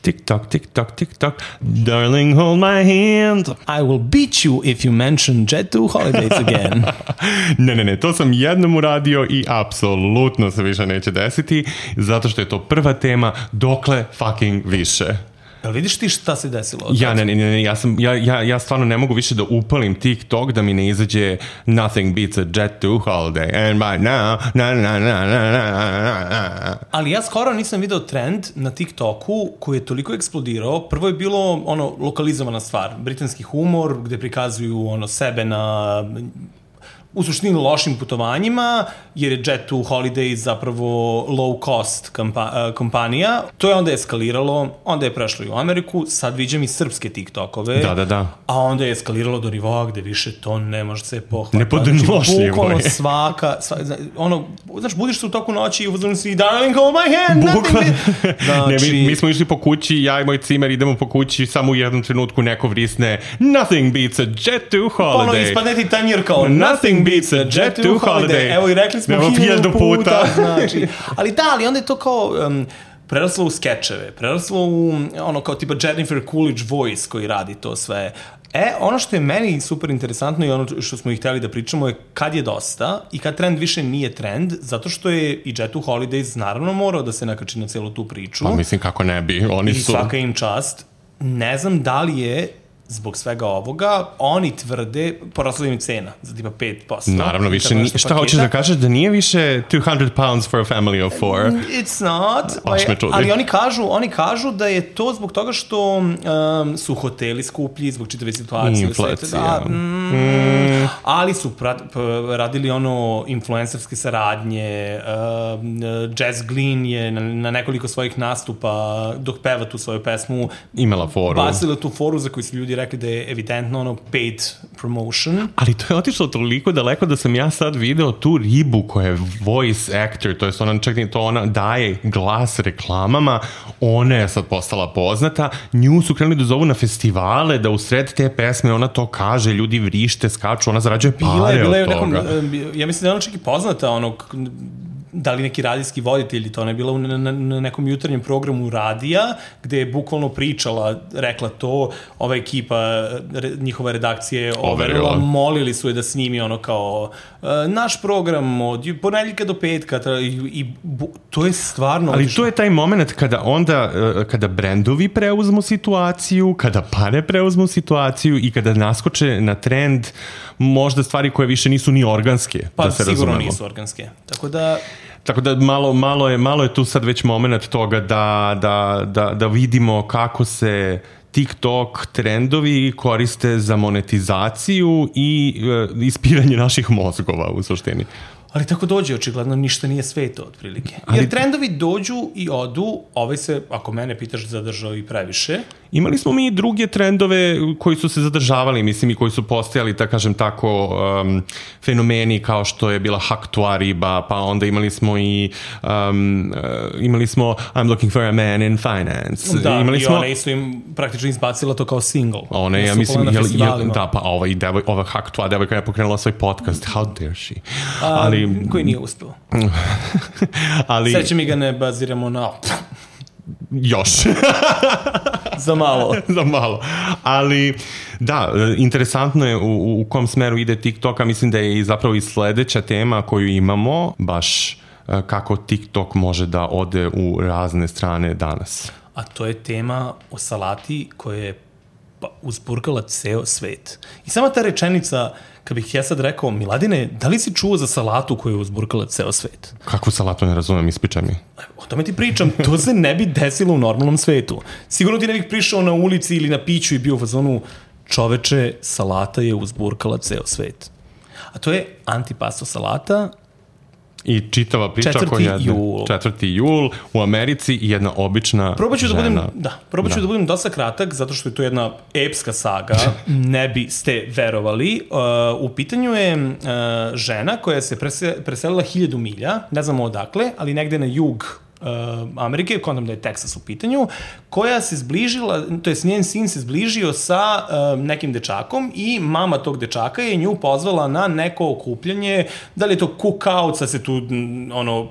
Tick-tock, tick-tock, tick-tock, darling, hold my hand. I will beat you if you mention Jet2 Holidays again. Ne, to sam jednom uradio i apsolutno se više neće desiti, zato što je to prva tema, dokle fucking više. Jel vidiš ti šta se desilo? Ja stvarno ne mogu više da upalim TikTok da mi ne izađe Nothing beats a Jet2 holiday and by now Ali ja skoro nisam video trend na TikToku koji je toliko eksplodirao. Prvo je bilo lokalizovana stvar, britanski humor gde prikazuju sebe na u suštini lošim putovanjima, jer je Jet2 Holidays zapravo low cost kompanija. To je onda eskaliralo, onda je prešlo i u Ameriku, sad viđam i srpske TikTokove. Da. A onda je eskaliralo do nivoa gde više to ne može se pohvatati. Nepodnošljivo je. Svaka, znaš, budiš se u toku noći i uzmano si darling, hold my hand. Mi smo išli po kući, ja i moj cimer idemo po kući, samo u jednom trenutku neko vrisne Nothing beats a Jet2 holiday. Ispadne ti tanjir kao Nothing beats a Jet2 holiday. Evo i rekli smo 1000 puta. Znači. Ali onda je to kao preraslo u skečeve, preraslo u kao tipa Jennifer Coolidge voice koji radi to sve. Ono što je meni super interesantno i ono što smo ih hteli da pričamo je kad je dosta i kad trend više nije trend, zato što je i Jet2 Holidays naravno morao da se nakači na celu tu priču. Pa mislim kako ne bi, oni su... I svaka im čast. Ne znam da li je zbog svega ovoga. Oni tvrde, porasla im je cena za tipa 5%. Naravno, više šta hoćeš da kažeš, da nije više 200 pounds for a family of 4? It's not. Ali oni kažu da je to zbog toga što su hoteli skuplji, zbog čitave situacije. Inflacija. Ali su radili influencerske saradnje. Jazz Glynn je na nekoliko svojih nastupa dok peva tu svoju pesmu imala foru. Bacila tu foru za koju su ljudi rekli da je evidentno paid promotion. Ali to je otišlo toliko daleko da sam ja sad video tu ribu koja je voice actor, to je ona daje glas reklamama, ona je sad postala poznata, nju su krenuli da zovu na festivale, da u sred te pesme ona to kaže, ljudi vrište, skaču, ona zarađuje pare od toga. Ja mislim da je ona čak i poznata, da li neki radijski voditelj, to ona je bila na nekom jutarnjem programu radija, gde je bukvalno rekla to, ova ekipa, njihova redakcija je overila, molili su je da snimi kao naš program od ponedjeljka do petka i to je stvarno... Ali to je taj moment kada brendovi preuzmu situaciju, kada pare preuzmu situaciju i kada naskoče na trend možda stvari koje više nisu ni organske, da se razumemo. Sigurno nisu organske. Tako da malo je tu sad već moment toga da vidimo kako se TikTok trendovi koriste za monetizaciju i ispiranje naših mozgova u suštini. Ali tako dođe, očigledno ništa nije sveto, otprilike. Jer trendovi dođu i odu, ovaj se, ako mene pitaš, zadržao i previše. Imali smo mi i druge trendove koji su se zadržavali, mislim, i koji su postojali, da kažem tako, fenomeni kao što je bila Haktua riba, pa onda imali smo I'm looking for a man in finance. Da, i ona isto im praktično izbacila to kao single. Ona je, ja mislim, pa ova Haktua devojka je pokrenula svoj podcast, How Dare She? Koji nije uspeo. Sreće mi ga ne baziramo na... Još. Za malo. Ali, da, interesantno je u kom smeru ide TikTok, a mislim da je i zapravo i sledeća tema koju imamo, baš kako TikTok može da ode u razne strane danas. A to je tema o salati koja je uzburkala ceo svet. I sama ta rečenica, kad bih ja sad rekao, Miladine, da li si čuo za salatu koju je uzburkala ceo svet? Kakvu salatu, ne razumem, ispričaj mi. O tome ti pričam, to se ne bi desilo u normalnom svetu. Sigurno ti ne bih prišao na ulici ili na piću i bio u fazonu, čoveče, salata je uzburkala ceo svet. A to je antipasto salata. I čitava priča koja je 4. jul u Americi i jedna obična žena. Probat ću da budem dosta kratak, zato što je to jedna epska saga, ne biste verovali. U pitanju je žena koja se preselila 1000 milja, ne znamo odakle, ali negde na jug Amerike, kontam da je Texas u pitanju, koja se zbližila, to je njen sin se zbližio sa nekim dečakom i mama tog dečaka je nju pozvala na neko okupljanje, da li je to cookout, sad se tu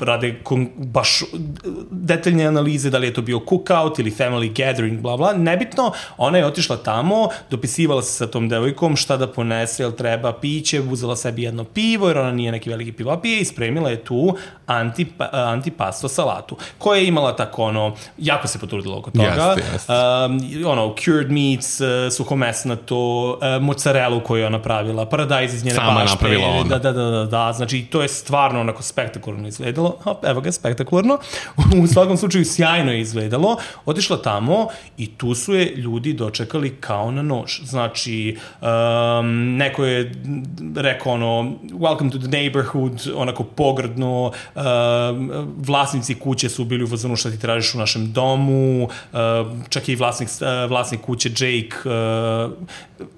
rade baš detaljne analize, da li je to bio cookout ili family gathering, bla bla, nebitno, ona je otišla tamo, dopisivala se sa tom devojkom šta da ponese, jel treba piće, uzela sebi jedno pivo, jer ona nije neki veliki pivopije i spremila je tu antipasto salatu, koja je imala tako jako se potrudila oko toga. Cured meats, suhomesnato, mozzarelu koju je ona pravila, paradajz iz njene bašte. Sama napravila ona. Da, znači to je stvarno onako spektakularno izgledalo. Evo ga, spektakularno. U svakom slučaju sjajno je izgledalo. Otišla tamo i tu su je ljudi dočekali kao na nož. Znači, neko je rekao welcome to the neighborhood, onako pogrdno, vlasnici kuće su bili u fazonu šta ti tražiš u našem domu, čak i vlasnik kuće Jake,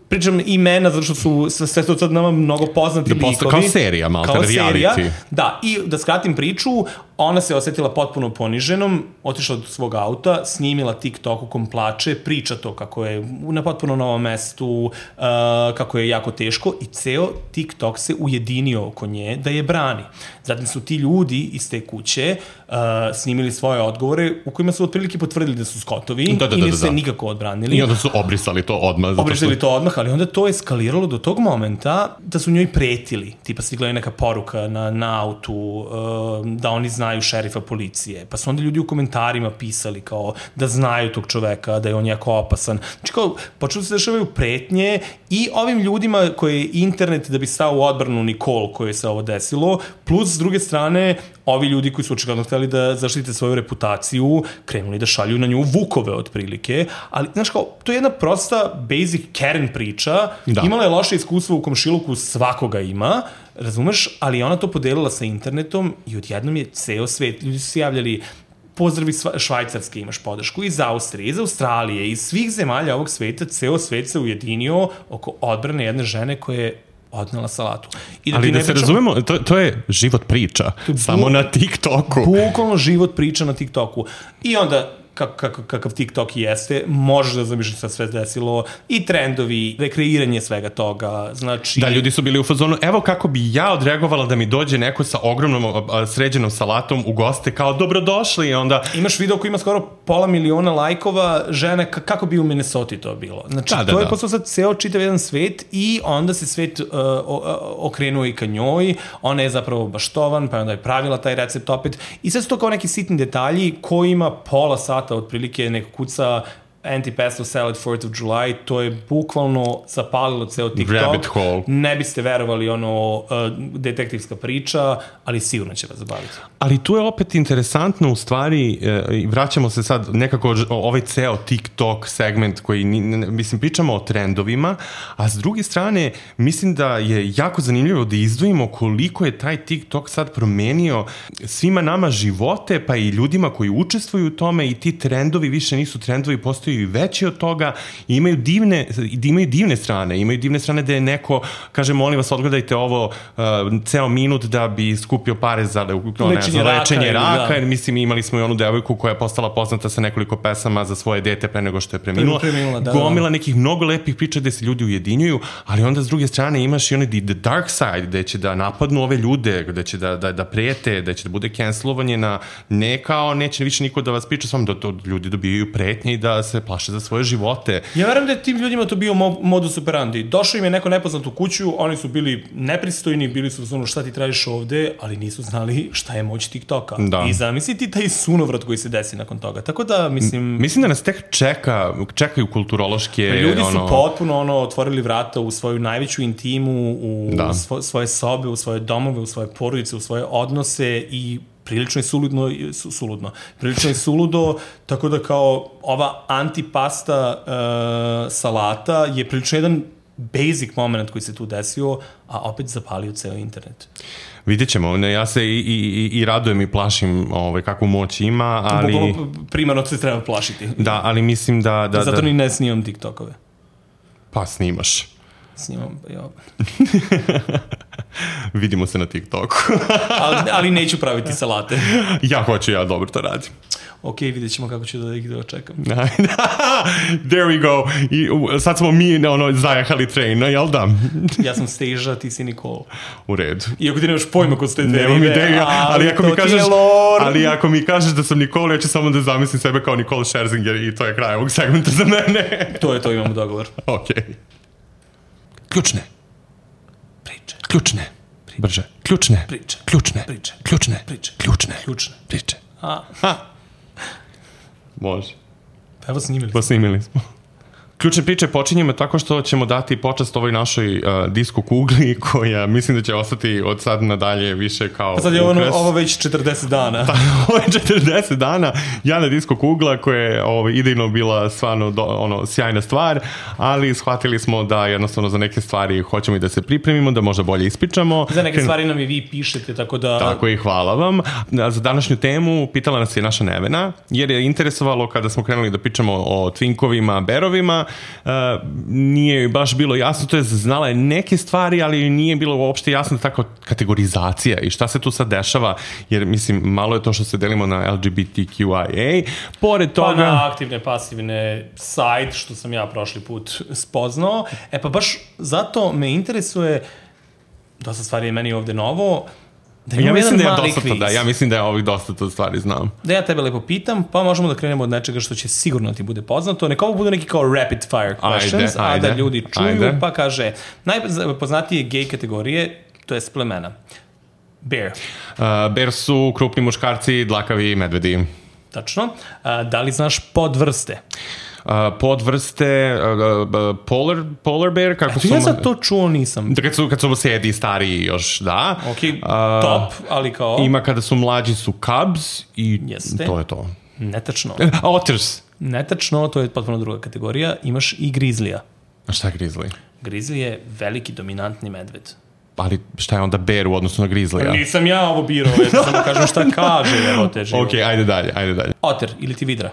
pričam imena zato što su sve to sad nama mnogo poznati likovi. Kao serija, malo reality. Da, i da skratim priču, ona se osetila potpuno poniženom, otišla do svog auta, snimila TikTok u kom plače, priča to kako je na potpuno novom mestu, kako je jako teško i ceo TikTok se ujedinio oko nje da je brani. Zatim su ti ljudi iz te kuće snimili svoje odgovore u kojima su otprilike potvrdili da su Scottovi i nisu se nikako odbranili. I onda su obrisali to odmah. ali onda to eskaliralo do tog momenta da su njoj pretili. Tipa stigla je neka poruka na autu, da oni znaju šerifa policije. Pa su onda ljudi u komentarima pisali kao da znaju tog čoveka, da je on jako opasan. Znači kao, počeli se dešavaju pretnje i ovim ljudima koje je internet da bi stao u odbranu Nikol koje se ovo desilo, plus s druge strane ovi ljudi koji su očigledno hteli da zaštite svoju reputaciju, krenuli da šalju na nju vukove otprilike, ali znaš kao, to je jedna prosta basic Karen priča, imala je loše iskustvo u komšiluku, svakoga ima, razumeš, ali ona to podelila sa internetom i odjednom je ceo svet, ljudi su se javljali, pozdravi Švajcarske, imaš podršku, iz Austrije, iz Australije, iz svih zemalja ovog sveta, ceo svet se ujedinio oko odbrane jedne žene koje je odnela salatu. Ali da se razumemo, to je život priča, samo na TikToku. Bukvalno život priča na TikToku. I onda kakav TikTok jeste, možeš da zamišljaš sad sve desilo i trendovi, rekreiranje svega toga, znači... Da, ljudi su bili u fazonu, evo kako bi ja odreagovala da mi dođe neko sa ogromnom sređenom salatom u goste, kao dobrodošli i onda... Imaš video koji ima skoro 500.000 lajkova, žene, kako bi u Minnesota to bilo. Znači, to je postao sad ceo čitav jedan svet i onda se svet okrenuo i ka njoj, ona je zapravo baštovan, pa onda je pravila taj recept opet i sve su to kao neki sitni detalji koji ima pola sata otprilike neko kuca anti-pesto salad 4th of July, to je bukvalno zapalilo ceo TikTok. Rabbit hole. Ne biste verovali detektivska priča, ali sigurno će vas zabaviti. Ali tu je opet interesantno u stvari, vraćamo se sad nekako ovaj ceo TikTok segment koji, mislim, pričamo o trendovima, a s druge strane, mislim da je jako zanimljivo da izdvojimo koliko je taj TikTok sad promenio svima nama živote, pa i ljudima koji učestvuju u tome i ti trendovi više nisu trendovi, postaju i veći od toga i imaju divne strane. Imaju divne strane da je neko, kaže, molim vas, odgledajte ovo ceo minut da bi skupio pare za lečenje raka, jer mislim imali smo i onu devojku koja je postala poznata sa nekoliko pesama za svoje dete pre nego što je preminula. Gomila nekih mnogo lepih priča gde se ljudi ujedinjuju, ali onda s druge strane imaš i onaj the dark side gde će da napadnu ove ljude, gde će da prete, gde će da bude cancelovanje na ne kao neće više niko da vas priča s vama, da to ljudi dobijaju pretnje i da se plaše za svoje živote. Ja verujem da je tim ljudima to bio modus operandi. Došao im je neko nepoznat u kuću, oni su bili nepristojni, bili su ono šta ti tražiš ovde, ali nisu znali šta je moć TikToka. I zamisli ti taj sunovrat koji se desi nakon toga. Tako da, mislim da nas tek čekaju kulturološke... Ljudi su potpuno otvorili vrata u svoju najveću intimu, u svoje sobe, u svoje domove, u svoje porodice, u svoje odnose i prilično je prilično je suludo, tako da kao ova antipasta salata je prilično jedan basic moment koji se tu desio, a opet zapalio ceo internet. Vidjet ćemo, ja se i radujem i plašim kakvu moć ima, ali... Primarno se treba plašiti. Da, ali mislim da... Zato ni ne snimam TikTokove. Pa snimaš. Snimam, ja. Vidimo se na TikToku. ali neću praviti salate. Ja hoću, ja dobro to radim. Ok, vidjet ćemo kako ću da ih dočekam. There we go. Sad smo mi zajahali train, jel da? Ja sam Steža, ti si Nikol. U redu. Iako ti nemaš pojma ko su te dve Nemam ideja, ali ako mi kažeš da sam Nikol, ja ću samo da zamislim sebe kao Nikol Scherzinger i to je kraj ovog segmenta za mene. To je to, imamo dogovor. Ok. Ključne. Priče. Ključne. Brže. Ključne. Priče. Ključne. Priče. Ključne. Priče. Ključne. Ključne. Priče. Može. Pa evo snimili smo. Ključne priče počinjemo tako što ćemo dati počast ovoj našoj disko kugli koja mislim da će ostati od sad nadalje više kao ukras. Sad je ovo već 40 dana. Ovo je 40 dana. Jana disko kugla koja je idejno bila stvarno sjajna stvar, ali shvatili smo da jednostavno za neke stvari hoćemo i da se pripremimo, da možda bolje ispričamo. Za neke stvari nam i vi pišete, tako da... Tako i hvala vam. Za današnju temu pitala nas je naša Nevena, jer je interesovalo kada smo krenuli da pričamo o twinkovima, berovima, nije baš bilo jasno, to je znala je neke stvari, ali nije bilo uopšte jasno tako kategorizacija i šta se tu sad dešava, jer mislim malo je to što se delimo na LGBTQIA, pored toga... Pa na aktivne, pasivne side, što sam ja prošli put spoznao, pa baš zato me interesuje, dosta stvari je meni ovde novo, Ja mislim da ja ovih dosta to stvari znam. Da ja tebe lepo pitam, pa možemo da krenemo od nečega što će sigurno ti bude poznato. Neka ovo budu neki kao rapid fire questions, a da ljudi čuju, pa kaže, najpoznatije gej kategorije, to je plemena. Bear. Bear su krupni muškarci, dlakavi medvedi. Tačno. Da li znaš podvrste? Podvrste polar bear, kako su... Ja za to čuo nisam. Kad su sedi stariji još, da. Ok, top, ali kao... Ima kada su mlađi su cubs i to je to. Netačno. Otters. Netačno, to je potpuno druga kategorija. Imaš i grizlija. A šta je grizli? Grizli je veliki dominantni medved. Ali šta je onda bear u odnosu na grizlija? Nisam ja ovo birao, samo kažem šta kaže. Ok, ajde dalje. Otter ili ti vidra?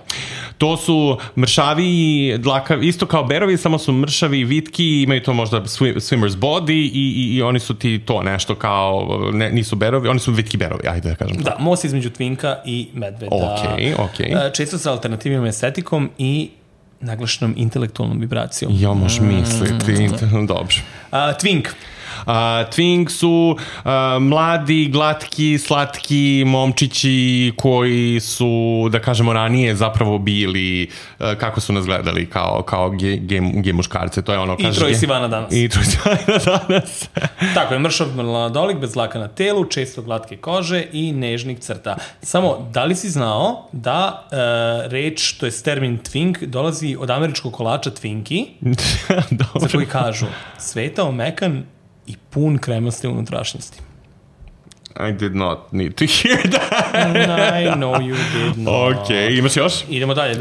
To su mršavi i dlakavi, isto kao berovi, samo su mršavi i vitki, imaju to možda swimmer's body i oni su ti to nešto kao, nisu berovi, oni su vitki berovi, ajde da kažem. Da, most između twinka i medveda. Ok. Često sa alternativnom estetikom i naglašenom intelektualnom vibracijom. Ja, možeš misliti, dobro. Twink. Twink su mladi, glatki, slatki momčići koji su, da kažemo, ranije zapravo bili, kako su nas gledali, kao gej muškarce. To je ono, I Troye Sivana danas. Tako je, mršav mladolik, bez dlaka na telu, često glatke kože i nežnih crta. Samo, da li si znao da reč, to je termin twink, dolazi od američkog kolača Twinkie, za koji kažu sveta, omekan i pun kremaste unutrašnjosti. I did not need to hear that. I know you did not. Ok, imaš još? Idemo dalje.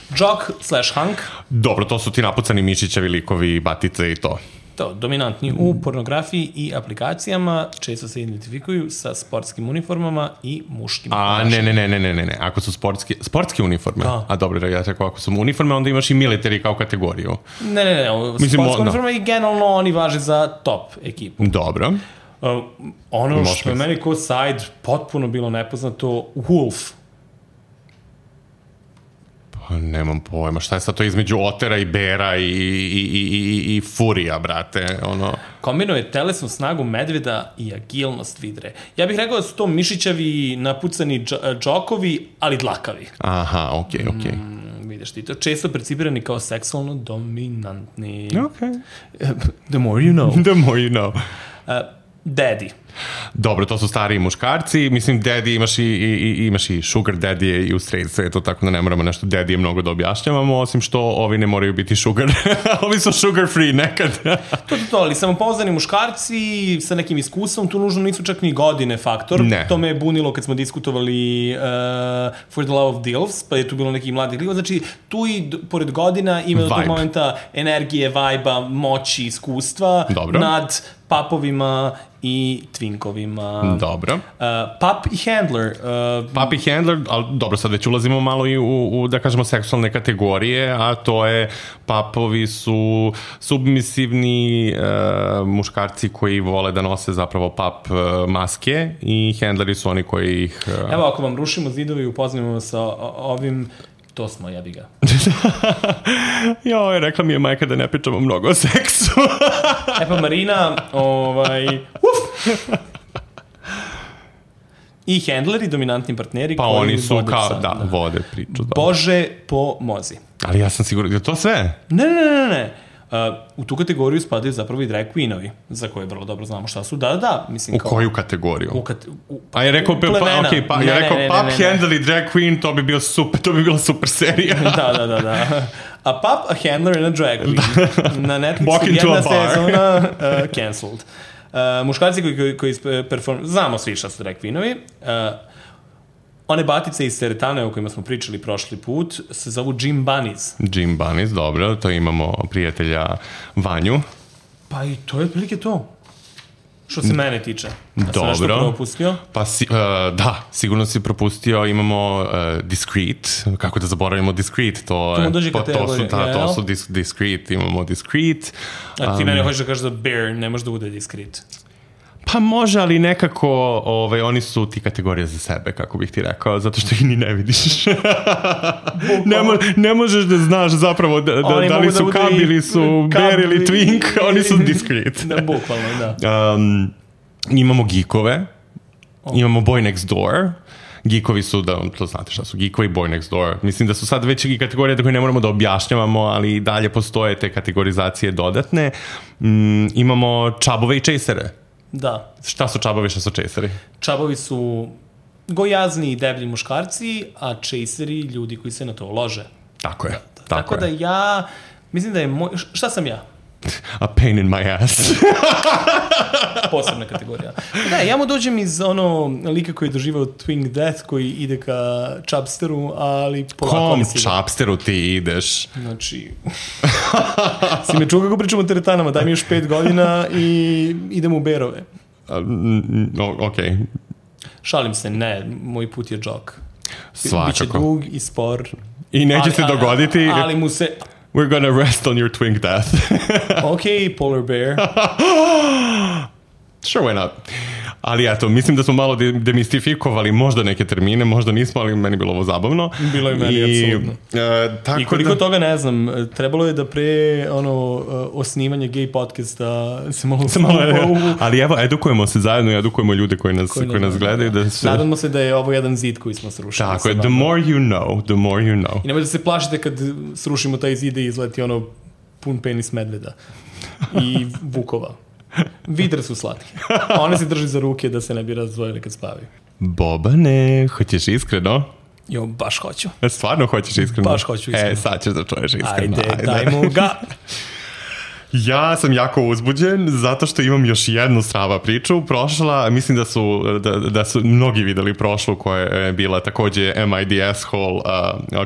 Jock/hunk. Dobro, to su ti napucani mišićevi likovi, batice i to. To, dominantni u pornografiji i aplikacijama, često se identifikuju sa sportskim uniformama i muškim ponašanjem. Ne. Ako su sportske uniforme, a dobro, ja rekao, ako su uniforme, onda imaš i military kao kategoriju. Ne. Sportske uniforme i generalno oni važe za top ekipu. Dobro. Ono što je meni kao side potpuno bilo nepoznato, Wolf. Nemam pojma, šta je sad to između otera i bera i furija, brate, ono... Kombinuje telesnu snagu medveda i agilnost vidre. Ja bih rekao da su to mišićavi, napucani džokovi, ali dlakavi. Aha, okej. Vidiš ti to, često percipirani kao seksualno dominantni. Okej. The more you know. The more you know. Daddy. Dobro, to su stariji muškarci. Mislim, daddy imaš i sugar daddy i u straight svetu, tako da ne moramo nešto daddy mnogo da objašnjavamo, osim što ovi ne moraju biti sugar. Ovi su sugar free nekad. To, ali samopouzdani muškarci sa nekim iskustvom, tu nužno nisu čak ni godine faktor. Ne. To me je bunilo kad smo diskutovali For the Love of Dilfs, pa je tu bilo neki mladi lik. Znači, tu i pored godina ima do tog momenta energije, vajba, moći, iskustva. Dobro. Nad papovima i twinkovima. Dobro. Pup i handler. Pup i handler, ali dobro, sad već ulazimo malo i u da kažemo, seksualne kategorije, a to je, papovi su submisivni muškarci koji vole da nose zapravo pup maske i handleri su oni koji ih... Evo, ako vam rušimo zidovi i upoznamo sa ovim... To smo, jebi ga. Joj, rekla mi je majka da ne pričamo mnogo o seksu. Pa Marina, i handleri, dominantni partneri. Pa oni su vode priču. Bože po mozi. Ali ja sam siguran, je to sve? Ne. U tu kategoriju spadaju zapravo i drag queenovi, za koje vrlo dobro znamo šta su. Da. Mislim, u koju kategoriju? A je rekao plemena. Pup handler i drag queen, to bi bila super serija. Da. A pup, a handler and a drag queen. Na Netflixu jedna sezona cancelled. Muškarci koji znamo svi šta su drag queenovi. One batice iz teretane o kojima smo pričali prošli put se zovu Gym Bunnies. Gym Bunnies, dobro, to imamo prijatelja Vanju. Pa i to je otprilike to. Što se mene tiče. Dobro. Sam nešto propustio? Pa da, sigurno si propustio, imamo Discreet, kako da zaboravimo Discreet, to su Discreet, imamo Discreet. A ti mene hoćeš da kažeš da Bear ne može da bude Discreet? Pa može, ali nekako oni su ti kategorije za sebe, kako bih ti rekao, zato što ih ni ne vidiš. Ne možeš da znaš zapravo da li su Cub ili su Bear ili Twink, oni su Discreet. Da, bukvalno, da. Imamo geekove. Imamo Boy Next Door. Geekovi su, da to znate šta su, Geekovi, Boy Next Door. Mislim da su sad već i kategorije koje ne moramo da objašnjavamo, ali dalje postoje te kategorizacije dodatne. Imamo čabove i chasere. Da. Šta su čabovi, šta su chaseri? Čabovi su gojazni i deblji muškarci, a chaseri ljudi koji se na to lože. Tako je. Da. Tako da ja, mislim da je moj... Šta sam ja? A pain in my ass. Posebna kategorija. Ne, ja mu dođem iz lika koji je doživao Twin Death, koji ide ka Chubsteru, ali polako... Kom Chubsteru ti ideš? Znači... si me čuo kako pričamo o teretanama, daj mi još 5 godina i idemo u Berove. Okej. Šalim se, ne, moj put je džok. Svakako. Biće dug i spor. I neće se dogoditi... Ali mu se... We're gonna rest on your twin death. Okay, polar bear. Sure, why not? Ali eto, mislim da smo malo demistifikovali možda neke termine, možda nismo, ali meni bilo ovo zabavno. Bilo je meni, apsolutno. I koliko toga ne znam, trebalo je da pre osnivanje gay podcasta se malo ali evo, edukujemo se zajedno i edukujemo ljude koji nas gledaju. Da se... Nadamo se da je ovo jedan zid koji smo srušili. Tako je, the more you know. I nemoj da se plašite kad srušimo taj zid i izleti pun penis medveda i vukova. Vidre su slatke. One se drži za ruke da se ne bi razdvojili kad spavaju. Bobane, hoćeš iskreno? Jo, baš hoću. Stvarno hoćeš iskreno? Baš hoću iskreno. Sad ćeš da čuješ iskreno. Ajde, dajmo ga. Ja sam jako uzbuđen zato što imam još jednu strava priču. Prošla, mislim da su mnogi videli prošlu koja je bila takođe MIDS Hall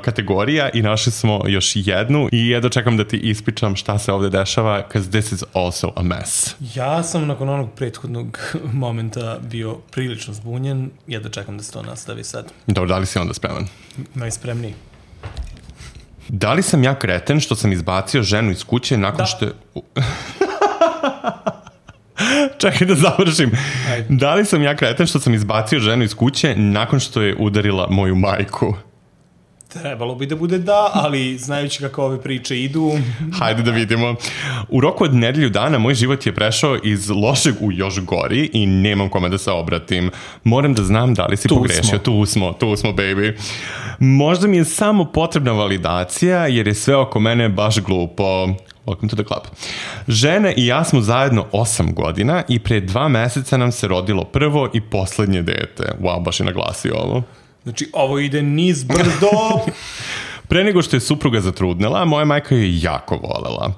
kategorija i našli smo još jednu i jedno čekam da ti ispričam šta se ovde dešava, because this is also a mess. Ja sam nakon onog prethodnog momenta bio prilično zbunjen, jedno čekam da se to nastavi sad. Dobro, da li si onda spreman? Najspremniji. Da li sam ja kreten što sam izbacio ženu iz kuće nakon što je... Čekaj da završim. Ajde. Da li sam ja kreten što sam izbacio ženu iz kuće nakon što je udarila moju majku? Trebalo bi da bude da, ali znajući kako ove priče idu... Hajde da vidimo. U roku od nedelju dana moj život je prešao iz lošeg u još gori i nemam kome da se obratim. Moram da znam da li si pogrešio. Tu smo, baby. Možda mi je samo potrebna validacija jer je sve oko mene baš glupo. Welcome to the club. Žena i ja smo zajedno 8 godina i pre 2 meseca nam se rodilo prvo i poslednje dete. Wow, baš je naglasio ovo. Znači, ovo ide niz brdo. Pre nego što je supruga zatrudnela, moja majka je jako volela.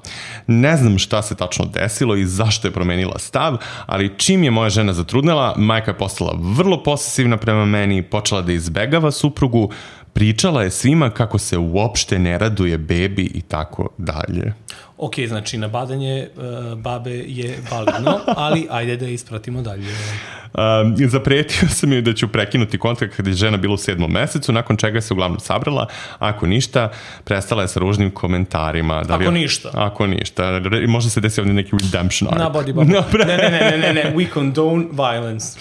Ne znam šta se tačno desilo i zašto je promenila stav, ali čim je moja žena zatrudnela, majka je postala vrlo posesivna prema meni, počela da izbegava suprugu, pričala je svima kako se uopšte ne raduje bebi i tako dalje. Ok, znači nabadanje babe je validno, ali ajde da ispratimo dalje. Zapretio sam joj da ću prekinuti kontakt kada je žena bila u 7. mesecu, nakon čega se uglavnom sabrala. Ako ništa, prestala je sa ružnim komentarima. Ako ništa. Možda se desi ovdje neki redemption arc. Nabodi babu. Ne. We condone violence.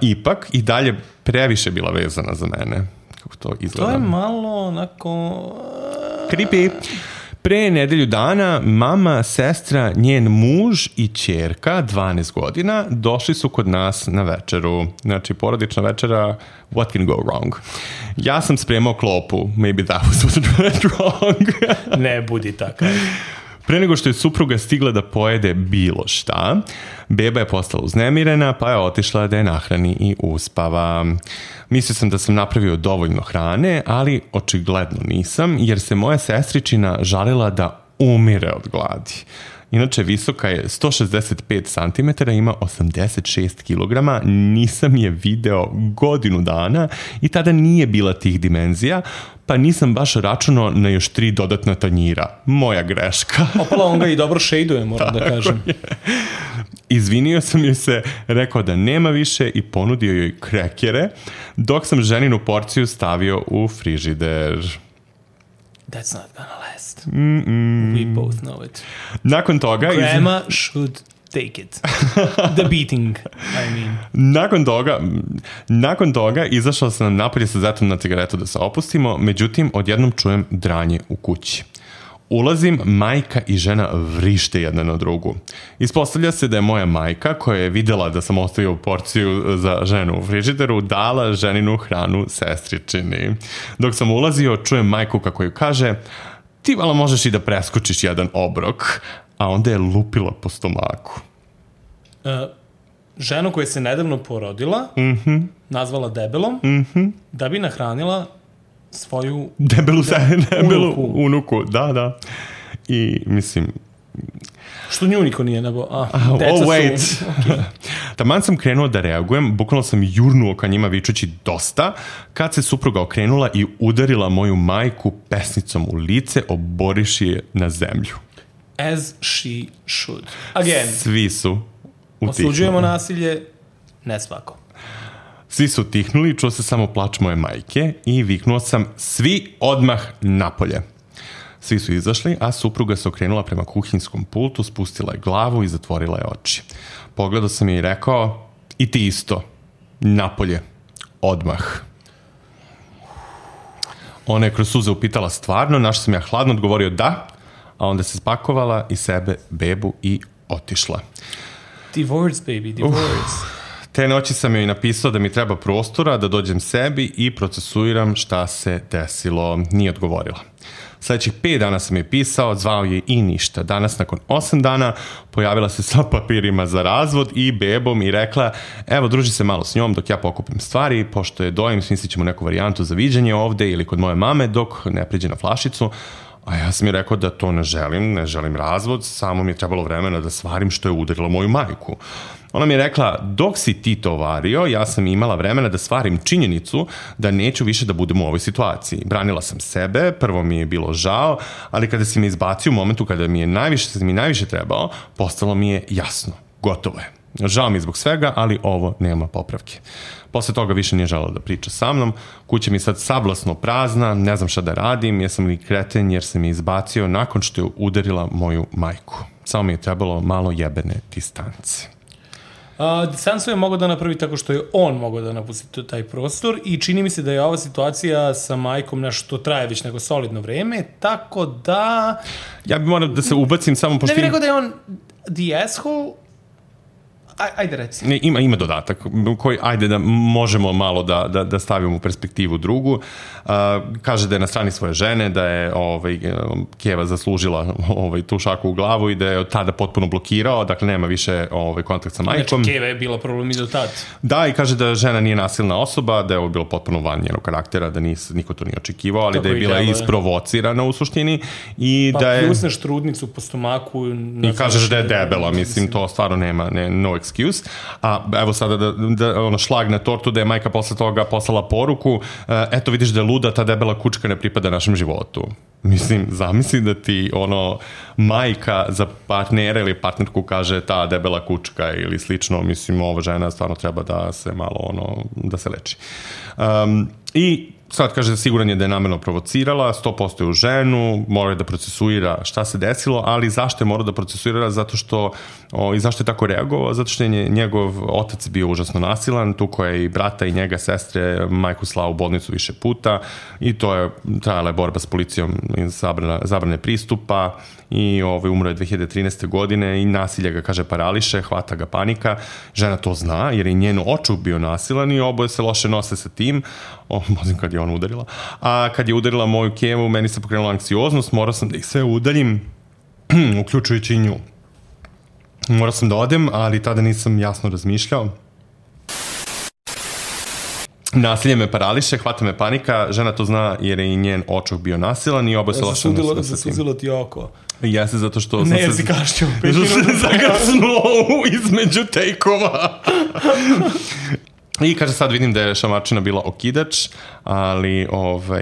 Ipak, i dalje previše bila vezana za mene. Kako to izgleda? To je malo onako... Creepy. Pre nedelju dana mama, sestra, njen muž i ćerka, 12 godina, došli su kod nas na večeru. Znači, porodična večera, what can go wrong? Ja sam spremao klopu. Maybe that was what went wrong. Ne budi takav. Pre nego što je supruga stigla da pojede bilo šta, beba je postala uznemirena, pa je otišla da je nahrani i uspava. Mislio sam da sam napravio dovoljno hrane, ali očigledno nisam, jer se moja sestričina žalila da umire od gladi. Inače, visoka je 165 cm, ima 86 kg, nisam je video godinu dana i tada nije bila tih dimenzija, pa nisam baš računao na još 3 dodatna tanjira. Moja greška. Opala, on ga i dobro šejduje, moram da kažem. Izvinio sam joj se, rekao da nema više i ponudio joj krekere, dok sam ženinu porciju stavio u frižider. That's not gonna last. We both know it. Nakon toga... Grandma should take it. The beating, I mean. Nakon toga izašao sam napolje sa zetom na cigaretu da se opustimo, međutim, odjednom čujem dranje u kući. Ulazim, majka i žena vrište jedna na drugu. Ispostavlja se da je moja majka, koja je videla da sam ostavio porciju za ženu u frižideru, dala ženinu hranu sestričini. Dok sam ulazio, čujem majku kako ju kaže: ti vala možeš i da preskočiš jedan obrok, a onda je lupila po stomaku. Ženu koja se nedavno porodila, nazvala debelom, da bi nahranila svoju debelu unuku. Da. I mislim... Što nju niko nije nebo... wait. Taman sam krenuo da reagujem, bukvalno sam jurnuo ka njima vičući dosta, kad se supruga okrenula i udarila moju majku pesnicom u lice, oboriši je na zemlju. As she should. Again. Svi su utihnuli. Osuđujemo nasilje, ne svako. Svi su utihnuli, čuo se samo plač moje majke i viknuo sam: svi odmah napolje. Svi su izašli, a supruga se okrenula prema kuhinskom pultu, spustila je glavu i zatvorila je oči. Pogledao sam je i rekao: i ti isto, napolje, odmah. Ona je kroz suze upitala stvarno, na što sam ja hladno odgovorio da, a onda se spakovala i sebe, bebu i otišla. Divorce, baby, divorce. Te noći sam joj napisao da mi treba prostora, da dođem sebi i procesuiram šta se desilo. Nije odgovorila. Sljedećih 5 dana sam je pisao, zvao je i ništa. Danas, nakon 8 dana, pojavila se sa papirima za razvod i bebom i rekla: evo, druži se malo s njom dok ja pokupim stvari, pošto je dojem, smislit ćemo neku varijantu za viđenje ovde ili kod moje mame dok ne priđe na flašicu. A ja sam je rekao da to ne želim razvod, samo mi je trebalo vremena da stvarim što je udarilo moju majku. Ona mi je rekla: dok si ti to vario, ja sam imala vremena da stvarim činjenicu da neću više da budem u ovoj situaciji. Branila sam sebe, prvo mi je bilo žao, ali kada si me izbacio u momentu kada mi najviše trebao, postalo mi je jasno, gotovo je. Žao mi zbog svega, ali ovo nema popravke. Posle toga više nije želela da priča sa mnom, kuća mi je sad sablasno prazna, ne znam šta da radim, jesam li kreten jer se mi izbacio nakon što je udarila moju majku. Samo mi je trebalo malo jebene distance. Distancu je mogao da napravi tako što je on mogao da napusti taj prostor i čini mi se da je ova situacija sa majkom nešto traje već neko solidno vreme, tako da... Ja bih morao da se ubacim samo pošto... Ne bih rekao da je on the asshole. Ajde reci. Ne, ima dodatak koji, ajde da možemo malo da stavimo u perspektivu drugu. Kaže da je na strani svoje žene, da je Keva zaslužila tu šaku u glavu i da je od tada potpuno blokirao, dakle nema više kontakt sa majkom. Znači Keva je bila problem i do tada. Da, i kaže da žena nije nasilna osoba, da je ovo bilo potpuno van njenog karaktera, da niko to nije očekivao, ali tako da je bila isprovocirana u suštini. I pa da je... pljusneš trudnicu po stomaku. I kažeš da je debela, mislim, to stvarno nema no excuse. A evo sada da šlag na tortu da je majka posle toga poslala poruku: eto vidiš da je luda, ta debela kučka ne pripada našem životu. Mislim, zamisli da ti majka za partnera ili partnerku kaže ta debela kučka ili slično, mislim, ova žena stvarno treba da se malo da se leči. I sad kaže, siguran je da je namerno provocirala, 100% je u ženu, mora je da procesuira šta se desilo, ali zašto je morao da procesuira? Zato što, i zašto je tako reagovao? Zato što je njegov otac bio užasno nasilan, tuko je i brata i njega, sestre, majku slao u bolnicu više puta i to je trajala je borba s policijom i zabrane pristupa i umro je 2013. godine i nasilje ga, kaže, parališe, hvata ga panika. Žena to zna jer je njen očuk bio nasilan i oboje se loše nose sa tim. Mozim kad je ona udarila. A kad je udarila moju Kevu, meni se pokrenula anksioznost, morao sam da ih sve udaljim, uključujući i nju. Morao sam da odem, ali tada nisam jasno razmišljao. Nasilje me parališe, hvata me panika, žena to zna jer je i njen očuk bio nasilan i oboje se loše nose sa tim. Zasuzilo ti oko. Jeste, zato što ne, jer si kašćao 5 minuta. Zato što se zagašnuo između tejkova. I kaže, sad vidim da je šamarčina bila okidač, ali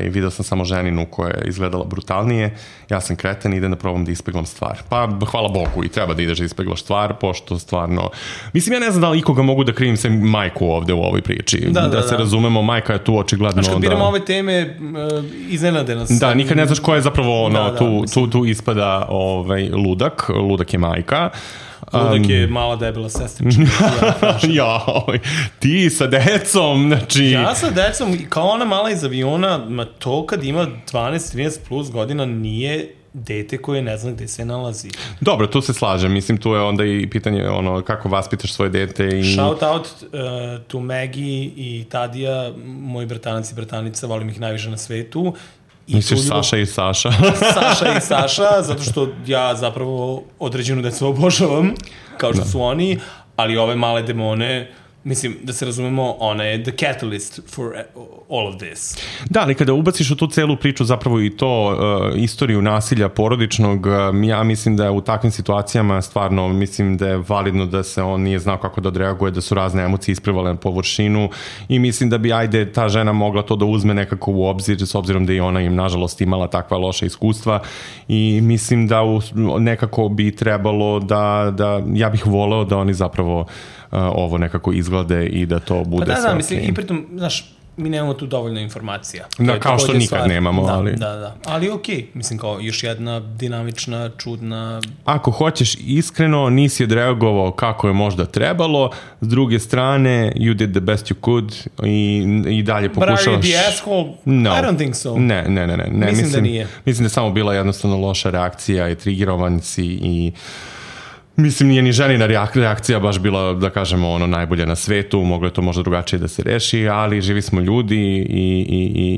video sam samo ženinu koja je izgledala brutalnije. Ja sam kreten i idem da probam da ispeglam stvar. Pa, hvala Bogu, i treba da ideš da ispeglaš stvar, pošto stvarno... Mislim, ja ne znam da li ikoga mogu da krivim sem majku ovde u ovoj priči. Da se razumemo, majka je tu očigledno... Znaš, kad biramo ove teme, iznenade nas. Da, nikad ne znaš ko je zapravo tu ispada ludak. Ludak je majka. Ludak je mala debela sestrička. Ti sa decom, znači... Ja sa decom, kao ona mala iz aviona, to kad ima 12-13 plus godina nije dete koje ne zna gde se nalazi. Dobro, tu se slažem. Mislim, tu je onda i pitanje kako vaspitaš svoje dete. I... Shout out to Maggie i Tadija, moji bratanac i bratanica, volim ih najviše na svetu. Misliš Saša i Saša? Saša i Saša, zato što ja zapravo određenu decu obožavam, kao što su oni, ali ove male demone, mislim, da se razumemo, ona je the catalyst for all of this. Da, ali kada ubaciš u tu celu priču zapravo i to istoriju nasilja porodičnog, ja mislim da je u takvim situacijama stvarno, mislim da je validno da se on nije znao kako da odreaguje, da su razne emocije isplivale na površinu i mislim da bi, ta žena mogla to da uzme nekako u obzir, s obzirom da i ona im, nažalost, imala takva loša iskustva i mislim da nekako bi trebalo da ja bih voleo da oni zapravo ovo nekako izglede i da to bude sve. Pa da, mislim, i pritom, znaš, mi nemamo tu dovoljno informacija. Da, kao što nikad nemamo, ali... Da. Ali okej, mislim, kao još jedna dinamična, čudna... Ako hoćeš iskreno, nisi odreagovao kako je možda trebalo, s druge strane, you did the best you could i dalje pokušavaš... But are you the asshole? No. I don't think so. Ne. Mislim da nije. Mislim da je samo bila jednostavno loša reakcija i trigerovan si i... Mislim, nije ni ženina reakcija baš bila, da kažemo, najbolje na svetu, moglo je to možda drugačije da se reši, ali živi smo ljudi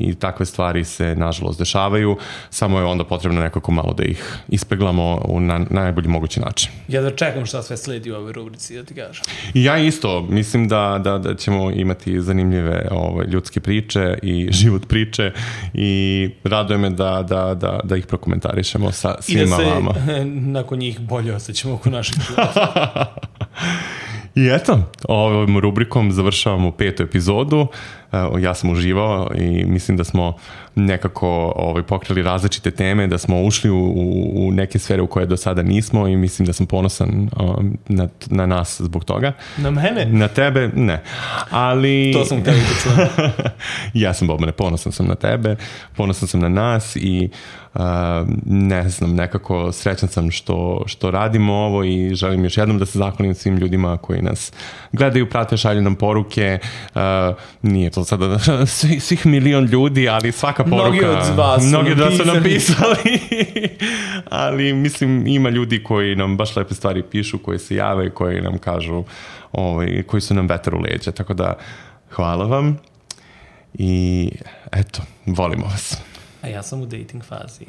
i takve stvari se, nažalost, dešavaju, samo je onda potrebno nekako malo da ih ispeglamo na najbolji mogući način. Ja da čekam šta sve sledi u ovoj rubrici, da ti kažem. I ja isto, mislim da ćemo imati zanimljive ljudske priče i život priče i raduje me da ih prokomentarišemo sa svima vama. I da se nakon njih bolje osjećamo oko naših. I eto, ovom rubrikom završavamo 5. epizodu. Ja sam uživao i mislim da smo nekako pokrili različite teme, da smo ušli u neke sfere u koje do sada nismo i mislim da sam ponosan na nas zbog toga. Na mene? Na tebe, ne. Ali... To sam tebi da čujem. Ja sam, Bobane, ponosan sam na tebe, ponosan sam na nas i ne znam, nekako srećan sam što radimo ovo i želim još jednom da se zahvalim svim ljudima koji nas gledaju, prate, šalju nam poruke. Nije to sada svih milion ljudi, ali svaka poruka... Mnogi od vas su napisali. Ali mislim, ima ljudi koji nam baš lepe stvari pišu, koji se jave, koji nam kažu, koji su nam vetar u leđa. Tako da, hvala vam i eto, volimo vas. A ja sam u dating fazi.